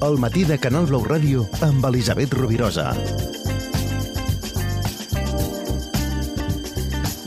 El matí de Canal Blau Ràdio amb Elisabet Rovirosa.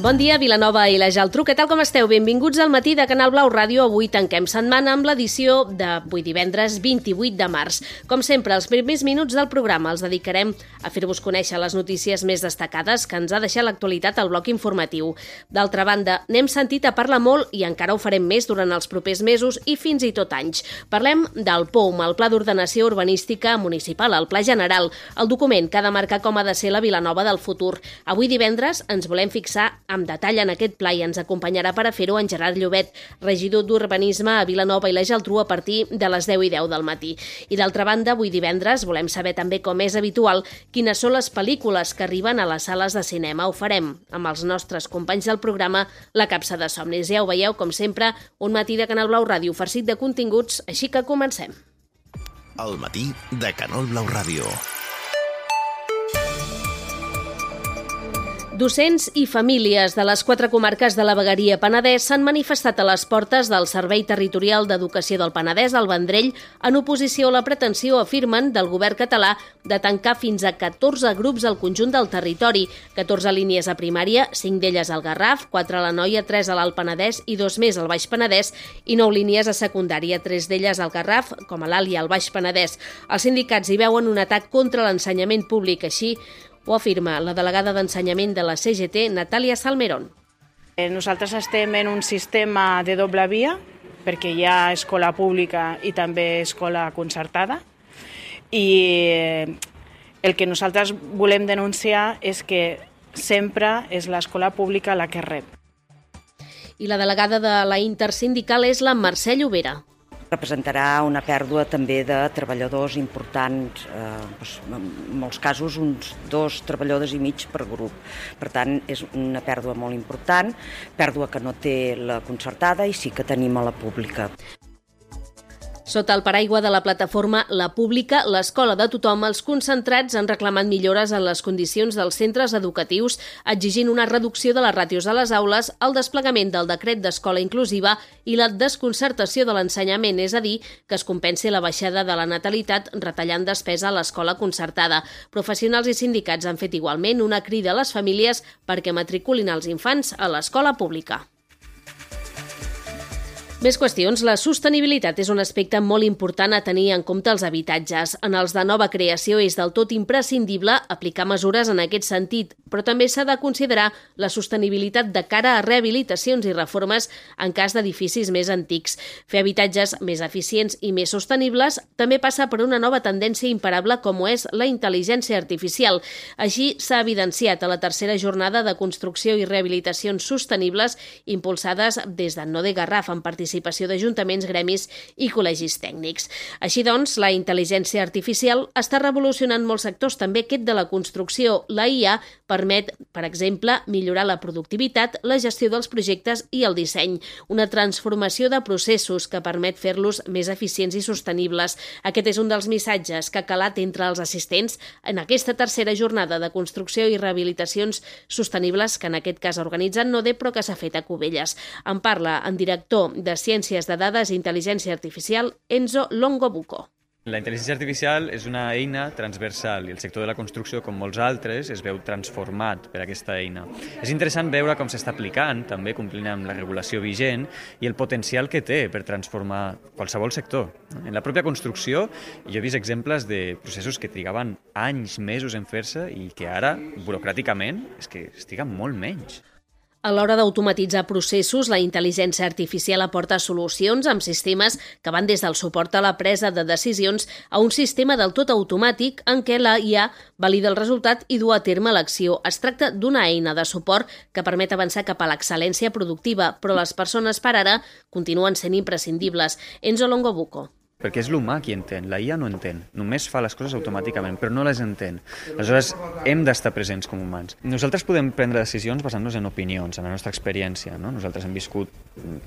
Bon dia, Vilanova i la Geltrú. Què tal, com esteu? Benvinguts al matí de Canal Blau Ràdio. Avui tanquem setmana amb l'edició d'avui divendres 28 de març. Com sempre, els primers minuts del programa els dedicarem a fer-vos conèixer les notícies més destacades que ens ha deixat l'actualitat al bloc informatiu. D'altra banda, n'hem sentit a parlar molt i encara ho farem més durant els propers mesos i fins i tot anys. Parlem del POUM, el Pla d'Ordenació Urbanística Municipal, el Pla General, el document que ha de marcar com ha de ser la Vilanova del futur. Avui divendres ens volem fixar amb detall en aquest pla i ens acompanyarà per a fer-ho en Gerard Llobet, regidor d'Urbanisme a Vilanova i la Geltrú a partir de les 10:10 del matí. I d'altra banda, avui divendres volem saber també, com és habitual, quines són les pel·lícules que arriben a les sales de cinema. Ho farem amb els nostres companys del programa La Capsa de Somnis. Ja ho veieu, com sempre, un matí de Canal Blau Ràdio farcit de continguts, així que comencem. El matí de Canal Blau Ràdio. Docents i famílies de les 4 comarques de la Vegueria Penedès s'han manifestat a les portes del Servei Territorial d'Educació del Penedès, al Vendrell, en oposició a la pretensió, afirmen, del govern català de tancar fins a 14 grups al conjunt del territori, 14 línies a primària, 5 d'elles al Garraf, 4 a l'Anoia, 3 a l'Alt Penedès i 2 més al Baix Penedès, i 9 línies a secundària, 3 d'elles al Garraf, com a l'Alt i al Baix Penedès. Els sindicats hi veuen un atac contra l'ensenyament públic, així ho afirma la delegada d'Ensenyament de la CGT, Natàlia Salmerón. Nosaltres estem en un sistema de doble via, perquè hi ha escola pública i també escola concertada, i el que nosaltres volem denunciar és que sempre és l'escola pública la que rep. I la delegada de la Intersindical és la Mercè Llobera. Representarà una pèrdua també de treballadors importants, en molts casos uns 2 treballadors i mig per grup. Per tant, és una pèrdua molt important, pèrdua que no té la concertada i sí que tenim a la pública. Sota el paraigua de la plataforma La Pública, l'escola de tothom, els concentrats han reclamat millores en les condicions dels centres educatius, exigint una reducció de les ràtios a les aules, el desplegament del decret d'escola inclusiva i la desconcertació de l'ensenyament, és a dir, que es compensi la baixada de la natalitat retallant despesa a l'escola concertada. Professionals i sindicats han fet igualment una crida a les famílies perquè matriculin els infants a l'escola pública. Més qüestions. La sostenibilitat és un aspecte molt important a tenir en compte als habitatges. En els de nova creació és del tot imprescindible aplicar mesures en aquest sentit, però també s'ha de considerar la sostenibilitat de cara a rehabilitacions i reformes en cas d'edificis més antics. Fer habitatges més eficients i més sostenibles també passa per una nova tendència imparable com ho és la intel·ligència artificial. Així s'ha evidenciat a la tercera jornada de construcció i rehabilitacions sostenibles impulsades des de Node Garraf en participació d'ajuntaments, gremis i col·legis tècnics. Així doncs, la intel·ligència artificial està revolucionant molts sectors, també aquest de la construcció. La IA permet, per exemple, millorar la productivitat, la gestió dels projectes i el disseny, una transformació de processos que permet fer-los més eficients i sostenibles. Aquest és un dels missatges que ha calat entre els assistents en aquesta tercera jornada de construcció i rehabilitacions sostenibles que en aquest cas ha organitzat Node, però que s'ha fet a Cubelles. En parla en director de Ciències de Dades i Intel·ligència Artificial, Enzo Longobuco. La intel·ligència artificial és una eina transversal i el sector de la construcció, com molts altres, es veu transformat per aquesta eina. És interessant veure com s'està aplicant, també complint amb la regulació vigent, i el potencial que té per transformar qualsevol sector. En la pròpia construcció jo he vist exemples de processos que trigaven anys, mesos en fer-se i que ara, burocràticament, és que es triga molt menys. A l'hora d'automatitzar processos, la intel·ligència artificial aporta solucions amb sistemes que van des del suport a la presa de decisions a un sistema del tot automàtic en què la IA valida el resultat i du a terme l'acció. Es tracta d'una eina de suport que permet avançar cap a l'excel·lència productiva, però les persones per ara continuen sent imprescindibles. Enzo Longobuco. Perquè és l'humà qui entén, la IA no entén, només fa les coses automàticament, però no les entén. Aleshores, hem d'estar presents com humans. Nosaltres podem prendre decisions basant-nos en opinions, en la nostra experiència, no? Nosaltres hem viscut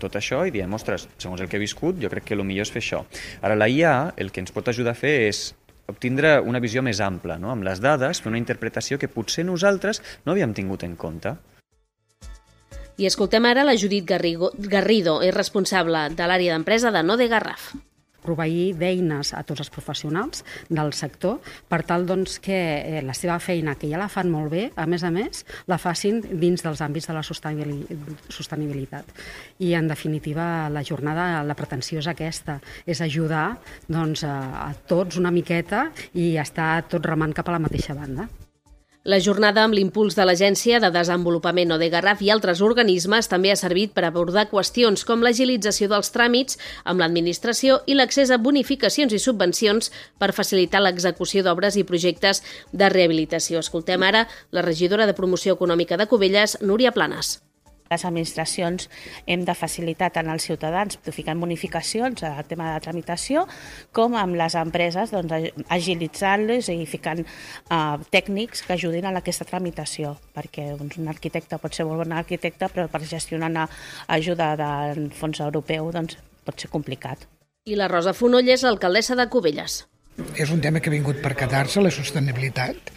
tot això i diem, ostres, segons el que he viscut, jo crec que el millor és fer això. Ara, la IA, el que ens pot ajudar a fer és obtindre una visió més ampla, no? Amb les dades, fer una interpretació que potser nosaltres no havíem tingut en compte. I escoltem ara la Judit Garrido, és responsable de l'àrea d'empresa de Node Garraf. proveir d'eines a tots els professionals del sector per tal que la seva feina, que ja la fan molt bé, a més, la facin dins dels àmbits de la sostenibilitat. I, en definitiva, la jornada, la pretensió és aquesta, és ajudar a tots una miqueta i estar tots remant cap a la mateixa banda. La jornada, amb l'impuls de l'Agència de Desenvolupament ODEGarraf i altres organismes, també ha servit per abordar qüestions com l'agilització dels tràmits amb l'administració i l'accés a bonificacions i subvencions per facilitar l'execució d'obres i projectes de rehabilitació. Escoltem ara la regidora de Promoció Econòmica de Cubelles, Núria Planes. Les administracions hem de facilitar tant als ciutadans ficant bonificacions al tema de tramitació com amb les empreses agilitzant-les i ficant tècnics que ajudin a aquesta tramitació, perquè un arquitecte pot ser molt bon arquitecte, però per gestionar una ajuda del fons europeu pot ser complicat. I la Rosa Fonoll és l'alcaldessa de Cubelles. És un tema que ha vingut per quedar-se, la sostenibilitat,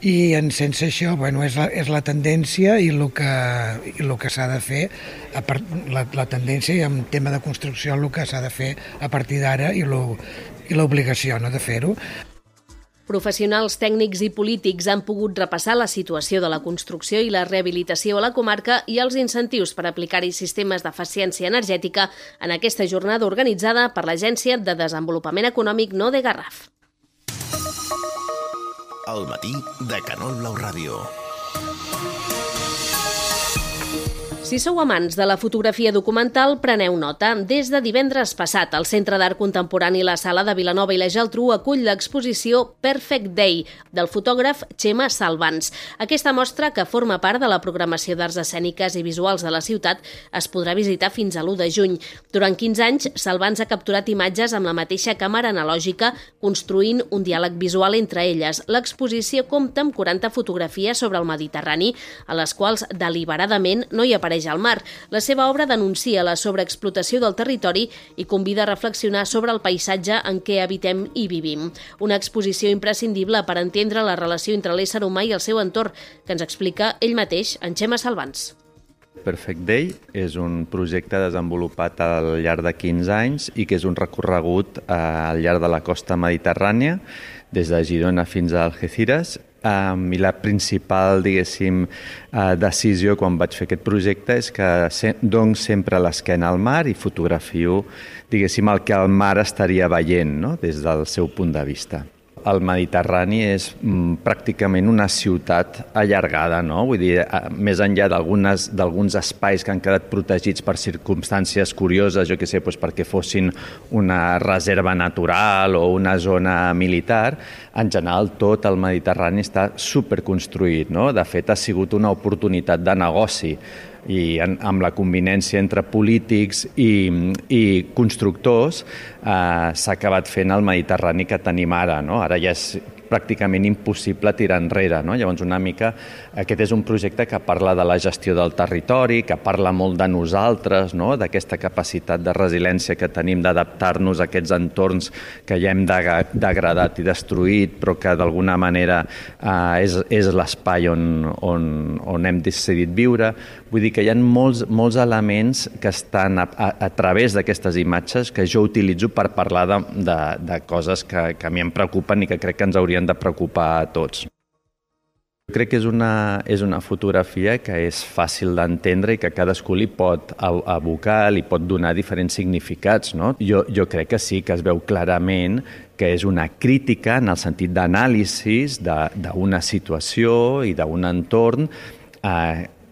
i sense això és la tendència i el que s'ha de fer, la tendència i en tema de construcció el que s'ha de fer a partir d'ara i l'obligació de fer-ho. Professionals, tècnics i polítics han pogut repassar la situació de la construcció i la rehabilitació a la comarca i els incentius per aplicar-hi sistemes d'eficiència energètica en aquesta jornada organitzada per l'Agència de Desenvolupament Econòmic ODEGarraf. El matí de Canal Blau Ràdio. Si sou amants de la fotografia documental, preneu nota. Des de divendres passat, el Centre d'Art Contemporani La Sala de Vilanova i la Geltrú acull l'exposició Perfect Day, del fotògraf Txema Salvans. Aquesta mostra, que forma part de la programació d'arts escèniques i visuals de la ciutat, es podrà visitar fins a l'1 de juny. Durant 15 anys, Salvans ha capturat imatges amb la mateixa càmera analògica, construint un diàleg visual entre elles. L'exposició compta amb 40 fotografies sobre el Mediterrani, a les quals deliberadament no hi apareix al mar. La seva obra denuncia la sobreexplotació del territori i convida a reflexionar sobre el paisatge en què habitem i vivim. Una exposició imprescindible per entendre la relació entre l'ésser humà i el seu entorn, que ens explica ell mateix, en Txema Salvans. Perfect Day és un projecte desenvolupat al llarg de 15 anys i que és un recorregut al llarg de la costa mediterrània, des de Girona fins a Algeciras. I la principal, decisió quan vaig fer aquest projecte és que dono sempre l'esquena al mar i fotografio, el que el mar estaria veient, des del seu punt de vista. El Mediterrani és pràcticament una ciutat allargada, vull dir, més enllà d'alguns espais que han quedat protegits per circumstàncies curioses, perquè fossin una reserva natural o una zona militar, en general tot el Mediterrani està superconstruït, De fet, ha sigut una oportunitat de negoci i amb la convivència entre polítics i constructors s'ha acabat fent el Mediterrani que tenim ara. Ara ja és pràcticament impossible tirar enrere. Llavors, una mica, aquest és un projecte que parla de la gestió del territori, que parla molt de nosaltres, d'aquesta capacitat de resiliència que tenim d'adaptar-nos a aquests entorns que ja hem degradat i destruït, però que d'alguna manera és l'espai on hem decidit viure. Vull dir que hi ha molts elements que estan a través d'aquestes imatges que jo utilitzo per parlar de coses que a mi em preocupen i que crec que ens haurien de preocupar a tots. Jo crec que és una fotografia que és fàcil d'entendre i que cadascú li pot abocar, li pot donar diferents significats. Jo crec que sí, que es veu clarament que és una crítica en el sentit d'anàlisi d'una situació i d'un entorn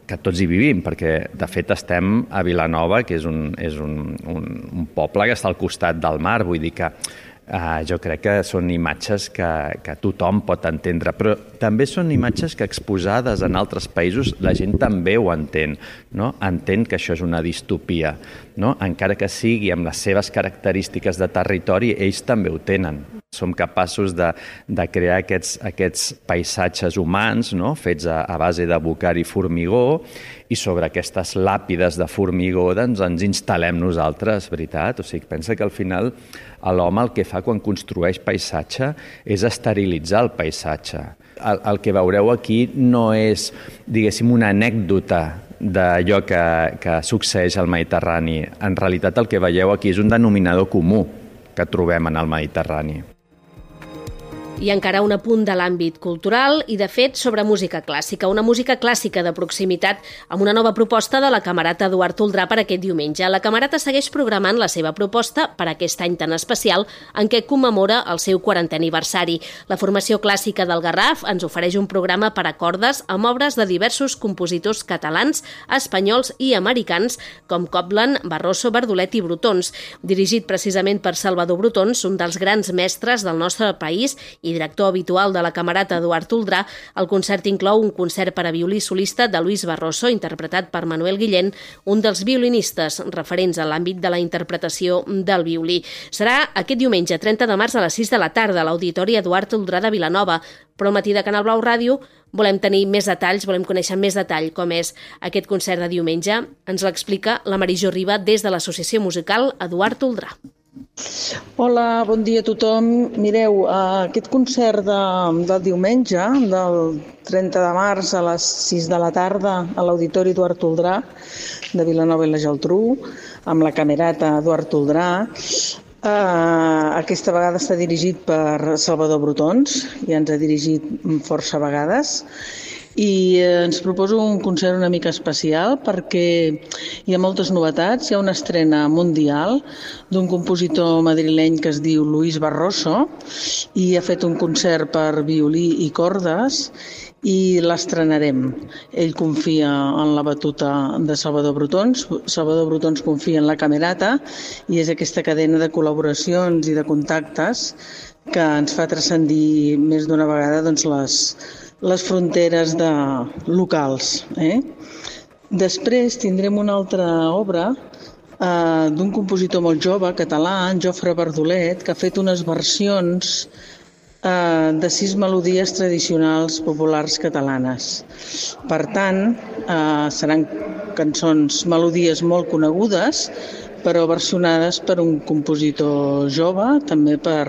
que tots hi vivim, perquè de fet estem a Vilanova, que és un poble que està al costat del mar, vull dir que jo crec que són imatges que tothom pot entendre, però també són imatges que exposades en altres països la gent també ho entén, entén que això és una distopia, encara que sigui amb les seves característiques de territori, ells també ho tenen. Som capaços de crear aquests paisatges humans fets a base de bocar i formigó, i sobre aquestes làpides de formigó ens instal·lem nosaltres, veritat? O sigui, pensa que al final l'home el que fa quan construeix paisatge és esterilitzar el paisatge. El que veureu aquí no és, una anècdota d'allò que succeeix al Mediterrani. En realitat el que veieu aquí és un denominador comú. que trobem en el Mediterrani. I encara un apunt de l'àmbit cultural i, de fet, sobre música clàssica. Una música clàssica de proximitat amb una nova proposta de la Camerata Eduard Toldrà per aquest diumenge. La Camerata segueix programant la seva proposta per aquest any tan especial en què commemora el seu 40è aniversari. La formació clàssica del Garraf ens ofereix un programa per a cordes amb obres de diversos compositors catalans, espanyols i americans com Copland, Barroso, Bardolet i Brotons. Dirigit precisament per Salvador Brotons, un dels grans mestres del nostre país i director habitual de la Camerata Eduard Toldrà, el concert inclou un concert per a violí solista de Luis Barroso, interpretat per Manuel Guillén, un dels violinistes referents a l'àmbit de la interpretació del violí. Serà aquest diumenge, 30 de març, a les 6 de la tarda, a l'Auditori Eduard Toldrà de Vilanova. Però al matí de Canal Blau Ràdio volem tenir més detalls, volem conèixer més detall com és aquest concert de diumenge. Ens l'explica la Marijó Riba des de l'Associació Musical Eduard Toldrà. Hola, bon dia a tothom. Mireu, aquest concert del diumenge, del 30 de març a les 6 de la tarda a l'Auditori Eduard Toldrà de Vilanova i la Geltrú, amb la Camerata Eduard Toldrà, aquesta vegada està dirigit per Salvador Brotons, ja ens ha dirigit força vegades, i ens proposo un concert una mica especial perquè hi ha moltes novetats. Hi ha una estrena mundial d'un compositor madrileny que es diu Luis Barroso i ha fet un concert per violí i cordes i l'estrenarem. Ell confia en la batuta de Salvador Brotons, Salvador Brotons confia en la Camerata i és aquesta cadena de col·laboracions i de contactes que ens fa transcendir més d'una vegada les fronteres locals. Després tindrem una altra obra d'un compositor molt jove, català, en Jofre Bardolet, que ha fet unes versions de 6 melodies tradicionals populars catalanes. Per tant, seran cançons, melodies molt conegudes, però versionades per un compositor jove, també per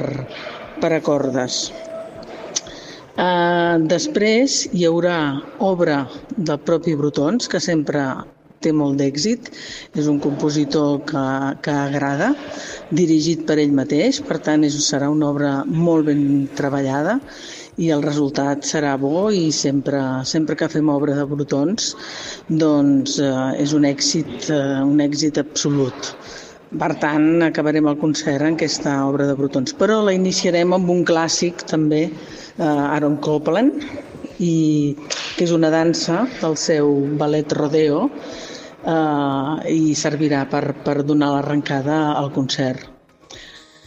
a cordes. Després hi haurà obra del propi Brotons, que sempre té molt d'èxit. És un compositor que agrada, dirigit per ell mateix, per tant serà una obra molt ben treballada i el resultat serà bo i sempre que fem obra de Brotons doncs és un èxit absolut. Per tant, acabarem el concert en aquesta obra de Brotons. Però la iniciarem amb un clàssic també, Aaron Copland, que és una dansa del seu ballet Rodeo i servirà per donar l'arrencada al concert.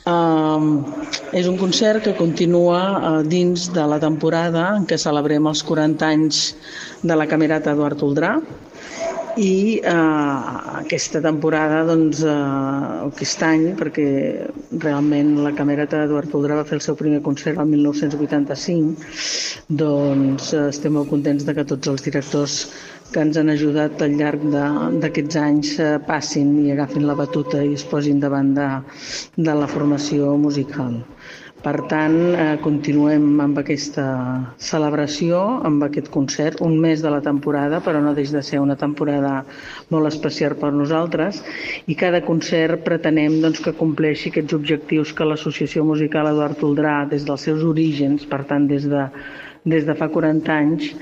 És un concert que continua dins de la temporada en què celebrem els 40 anys de la Camerata Eduard Toldrà i aquesta temporada, aquest any, perquè realment la Camerata Eduard Toldrà va fer el seu primer concert el 1985, doncs estem molt contents de que tots els directors que ens han ajudat al llarg d'aquests anys passin i agafin la batuta i es posin davant de la formació musical. Per tant, continuem amb aquesta celebració, amb aquest concert, un mes de la temporada, però no deixa de ser una temporada molt especial per nosaltres, i cada concert pretenem que compleixi aquests objectius que l'Associació Musical Eduard Toldrà, des dels seus orígens, per tant des de fa 40 anys,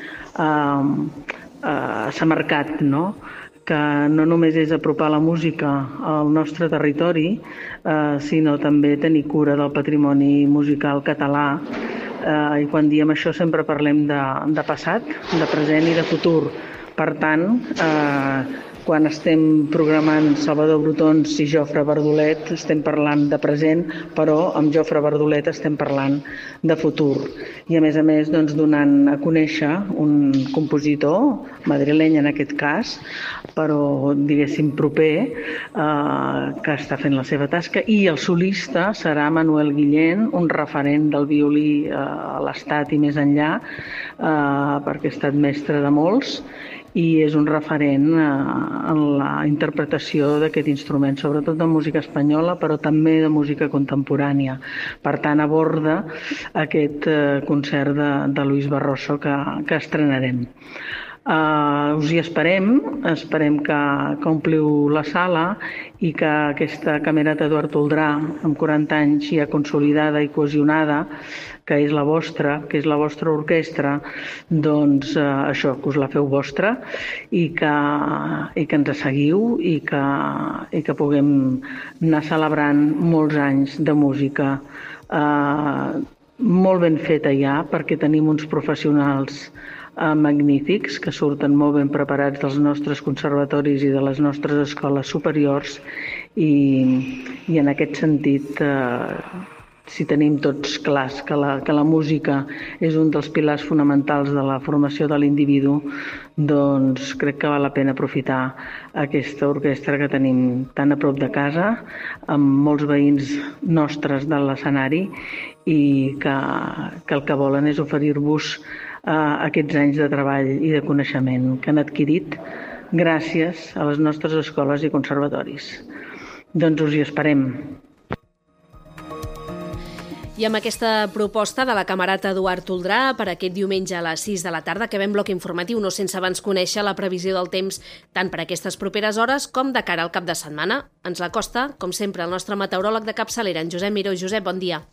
s'ha marcat, no? Que no només és apropar la música al nostre territori, sinó també tenir cura del patrimoni musical català. I quan diem això sempre parlem de passat, de present i de futur. Per tant, quan estem programant Salvador Brotons i Jofre Bardolet estem parlant de present, però amb Jofre Bardolet estem parlant de futur. I a més, donant a conèixer un compositor, madrileny en aquest cas, però diguéssim proper, que està fent la seva tasca, i el solista serà Manuel Guillén, un referent del violí a l'Estat i més enllà, perquè ha estat mestre de molts, i és un referent en la interpretació d'aquest instrument, sobretot de música espanyola, però també de música contemporània. Per tant, aborda aquest concert de Luis Barroso que estrenarem. Us hi esperem que ompliu la sala i que aquesta Camerata Eduard Toldrà, amb 40 anys ja consolidada i cohesionada, que és la vostra orquestra, doncs això, que us la feu vostra i que ens seguiu i que puguem anar celebrant molts anys de música molt ben feta ja, perquè tenim uns professionals magnífics que surten molt ben preparats dels nostres conservatoris i de les nostres escoles superiors i en aquest sentit si tenim tots clars que la música és un dels pilars fonamentals de la formació de l'individu, doncs crec que val la pena aprofitar aquesta orquestra que tenim tan a prop de casa, amb molts veïns nostres de l'escenari i que el que volen és oferir-vos aquests anys de treball i de coneixement que han adquirit gràcies a les nostres escoles i conservatoris. Doncs us hi esperem. I amb aquesta proposta de la Camerata Eduard Toldrà per aquest diumenge a les 6 de la tarda, acabem bloc informatiu, no sense abans conèixer la previsió del temps tant per aquestes properes hores com de cara al cap de setmana. Ens l'acosta, com sempre, el nostre meteoròleg de capçalera, en Josep Miró. Josep, bon dia.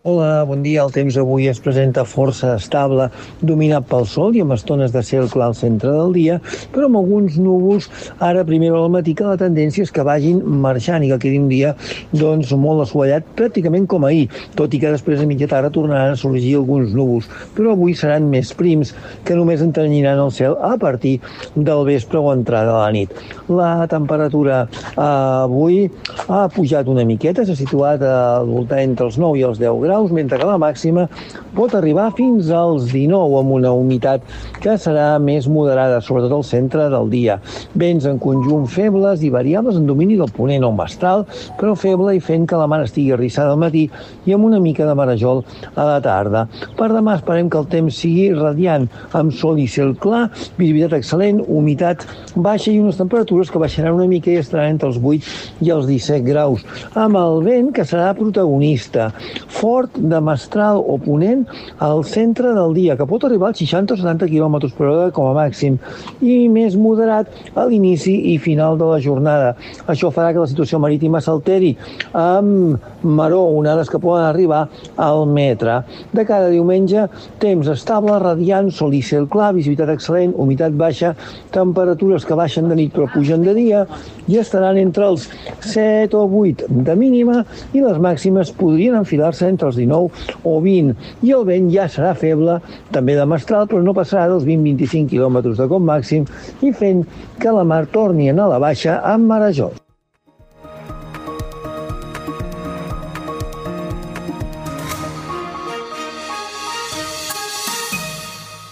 Hola, bon dia. El temps avui es presenta força estable, dominat pel sol i amb estones de cel clar al centre del dia, però amb alguns núvols ara a primera hora del matí, que la tendència és que vagin marxant i que quedi un dia doncs, molt assolellat, pràcticament com ahir, tot i que després a mitja tarda tornaran a sorgir alguns núvols, però avui seran més prims, que només entranyiran el cel a partir del vespre o entrada de la nit. La temperatura avui ha pujat una miqueta, s'ha situat al voltant entre els 9 i els 10 graus, mentre que la màxima pot arribar fins als 19 amb una humitat que serà més moderada, sobretot al centre del dia. Vents en conjunt febles i variables en domini del ponent o mestral, però feble i fent que la mar estigui arrissada al matí i amb una mica de marejol a la tarda. Per demà esperem que el temps sigui radiant, amb sol i cel clar, visibilitat excel·lent, humitat baixa i unes temperatures que baixaran una mica i estaran entre els 8 i els 17 graus, amb el vent que serà protagonista, fort de mestral o ponent al centre del dia, que pot arribar als 60 o 70 km per hora com a màxim, i més moderat a l'inici i final de la jornada. Això farà que la situació marítima s'alteri amb maró, onades que poden arribar al metre. De cada diumenge, temps estable, radiant, sol i cel clar, visibilitat excel·lent, humitat baixa, temperatures que baixen de nit però pugen de dia i estaran entre els 7 o 8 de mínima i les màximes podrien enfilar-se entre els 19 o 20. I el vent ja serà feble, també de mestral, però no passarà dels 20-25 km de com màxim i fent que la mar torni a anar a la baixa amb marejol.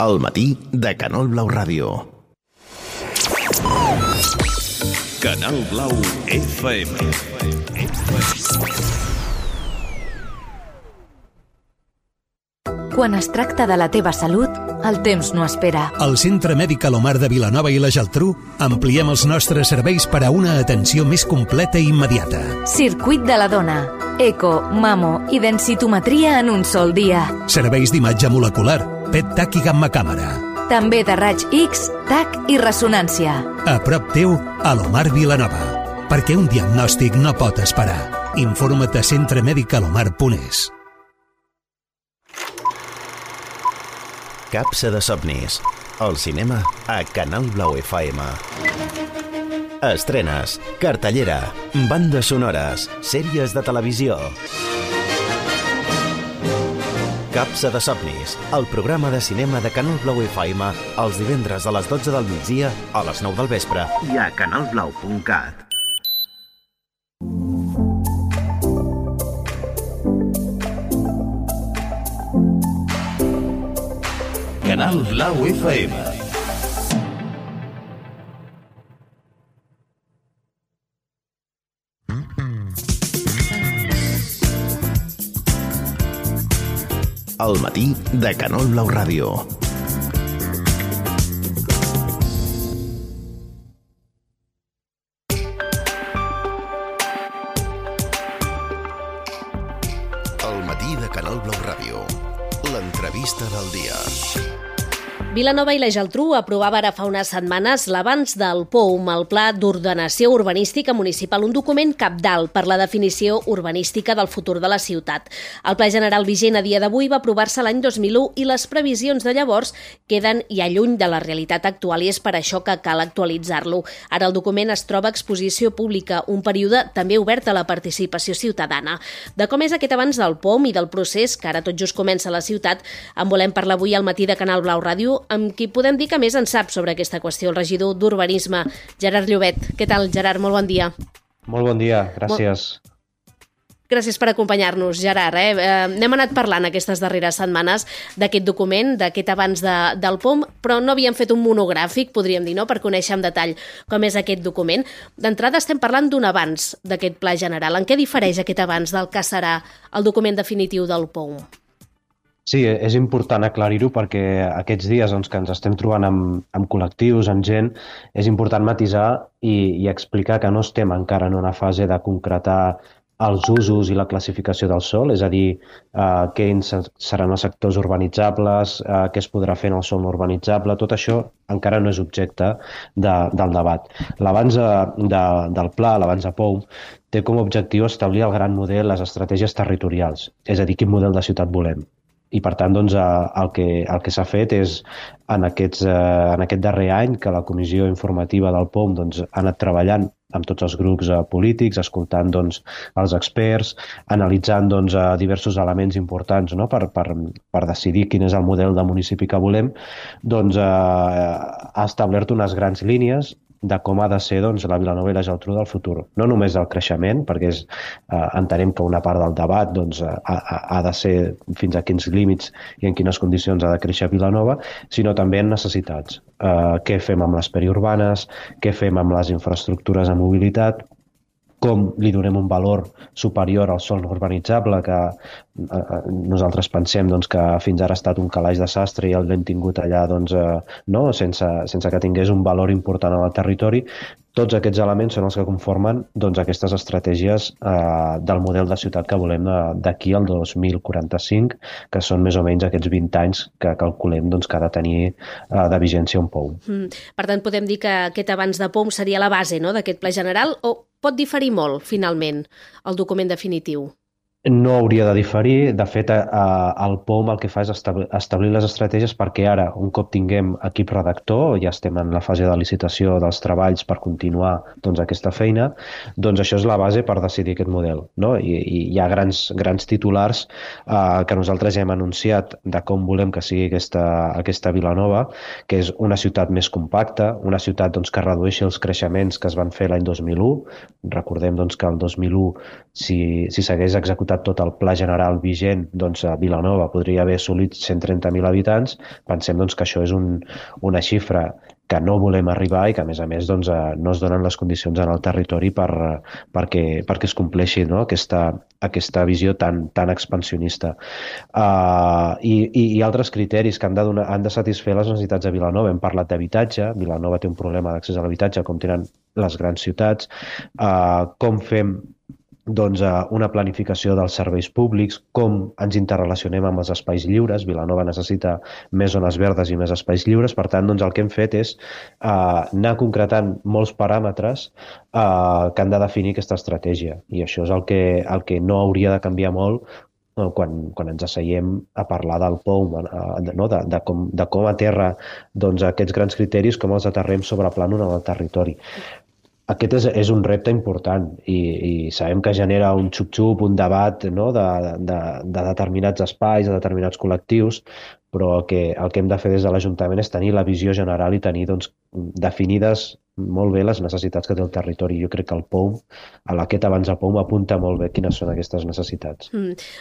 El matí de Canal Blau Ràdio. Canal Blau FM. Quan es tracta de la teva salut, el temps no espera. Al Centre Mèdic Alomar de Vilanova i la Geltrú ampliem els nostres serveis per a una atenció més completa i immediata. Circuit de la dona, eco, mamo i densitometria en un sol dia. Serveis d'imatge molecular, PET, TAC i gamma-càmera. També de raig X, TAC i ressonància. A prop teu, Alomar Vilanova. Perquè un diagnòstic no pot esperar. Informa't a centremedicalomar.es. Capsa de somnis. El cinema a Canal Blau FM. Estrenes, cartellera, bandes sonores, sèries de televisió. Capsa de somnis, el programa de cinema de Canal Blau FM, els divendres a les 12 del migdia, a les 9 del vespre i a canalblau.cat. Canal Blau FM. El matí de Canal Blau Ràdio. El matí de Canal Blau Ràdio. L'entrevista del dia. Vilanova i la Geltrú aprovava ara fa unes setmanes l'avanç del POUM, el Pla d'Ordenació Urbanística Municipal, un document cabdal per la definició urbanística del futur de la ciutat. El Pla General vigent a dia d'avui va aprovar-se l'any 2001 i les previsions de llavors queden ja lluny de la realitat actual i és per això que cal actualitzar-lo. Ara el document es troba a exposició pública, un període també obert a la participació ciutadana. De com és aquest avanç del POUM i del procés que ara tot just comença a la ciutat, en volem parlar avui al matí de Canal Blau Ràdio, amb qui podem dir que més en sap sobre aquesta qüestió, el regidor d'Urbanisme, Gerard Llobet. Què tal, Gerard? Molt bon dia. Molt bon dia, gràcies. Gràcies per acompanyar-nos, Gerard. N'hem anat parlant aquestes darreres setmanes d'aquest document, d'aquest avanç del POUM, però no havíem fet un monogràfic, podríem dir, no?, per conèixer en detall com és aquest document. D'entrada estem parlant d'un avanç d'aquest pla general. En què difereix aquest avanç del que serà el document definitiu del POUM? Sí, és important aclarir-ho perquè aquests dies que ens estem trobant amb col·lectius, amb gent, és important matisar i explicar que no estem encara en una fase de concretar els usos i la classificació del sòl, és a dir, quins seran els sectors urbanitzables, què es podrà fer en el sòl no urbanitzable, tot això encara no és objecte del debat. L'avanç del pla, l'avanç de POUM, té com a objectiu establir el gran model, les estratègies territorials, és a dir, quin model de ciutat volem. I, per tant, el que s'ha fet és, en aquest darrer any, que la comissió informativa del POUM ha anat treballant amb tots els grups polítics, escoltant els experts, analitzant diversos elements importants per decidir quin és el model de municipi que volem, ha establert unes grans línies de com ha de ser la Vilanova i la Geltrú del futur. No només el creixement, perquè entenem que una part del debat ha de ser fins a quins límits i en quines condicions ha de créixer Vilanova, sinó també en necessitats. Què fem amb les periurbanes, què fem amb les infraestructures de mobilitat, com li donem un valor superior al sòl no urbanitzable, que nosaltres pensem que fins ara ha estat un calaix de sastre i el l'hem tingut allà sense que tingués un valor important en el territori. Tots aquests elements són els que conformen aquestes estratègies del model de ciutat que volem d'aquí al 2045, que són més o menys aquests 20 anys que calculem que ha de tenir de vigència un POUM. Per tant, podem dir que aquest avanç de POUM seria la base d'aquest pla general o pot diferir molt, finalment, el document definitiu? No hauria de diferir. De fet, el POUM el que fa és establir les estratègies perquè ara, un cop tinguem equip redactor, ja estem en la fase de licitació dels treballs per continuar aquesta feina, això és la base per decidir aquest model. I hi ha grans titulars que nosaltres ja hem anunciat de com volem que sigui aquesta Vilanova, que és una ciutat més compacta, una ciutat que redueixi els creixements que es van fer l'any 2001. Recordem que el 2001, si s'hagués executat tot el pla general vigent, Vilanova podria haver assolit 130.000 habitants. Pensem que això és una xifra que no volem arribar i que, a més, no es donen les condicions en el territori perquè es compleixi aquesta visió tan expansionista. I altres criteris que han de satisfer les necessitats de Vilanova. Hem parlat d'habitatge. Vilanova té un problema d'accés a l'habitatge, com tenen les grans ciutats. Com fem una planificació dels serveis públics, com ens interrelacionem amb els espais lliures. Vilanova necessita més zones verdes i més espais lliures. Per tant, el que hem fet és anar concretant molts paràmetres que han de definir aquesta estratègia. I això és el que no hauria de canviar molt quan ens asseiem a parlar del POUM, de com aterra aquests grans criteris, com els aterrem sobre plànol en el territori. Aquest és un repte important i sabem que genera un xup-xup, un debat de determinats espais, de determinats col·lectius, però el que hem de fer des de l'Ajuntament és tenir la visió general i tenir definides molt bé les necessitats que té el territori. Jo crec que el POUM, aquest avanç de POUM, apunta molt bé quines són aquestes necessitats.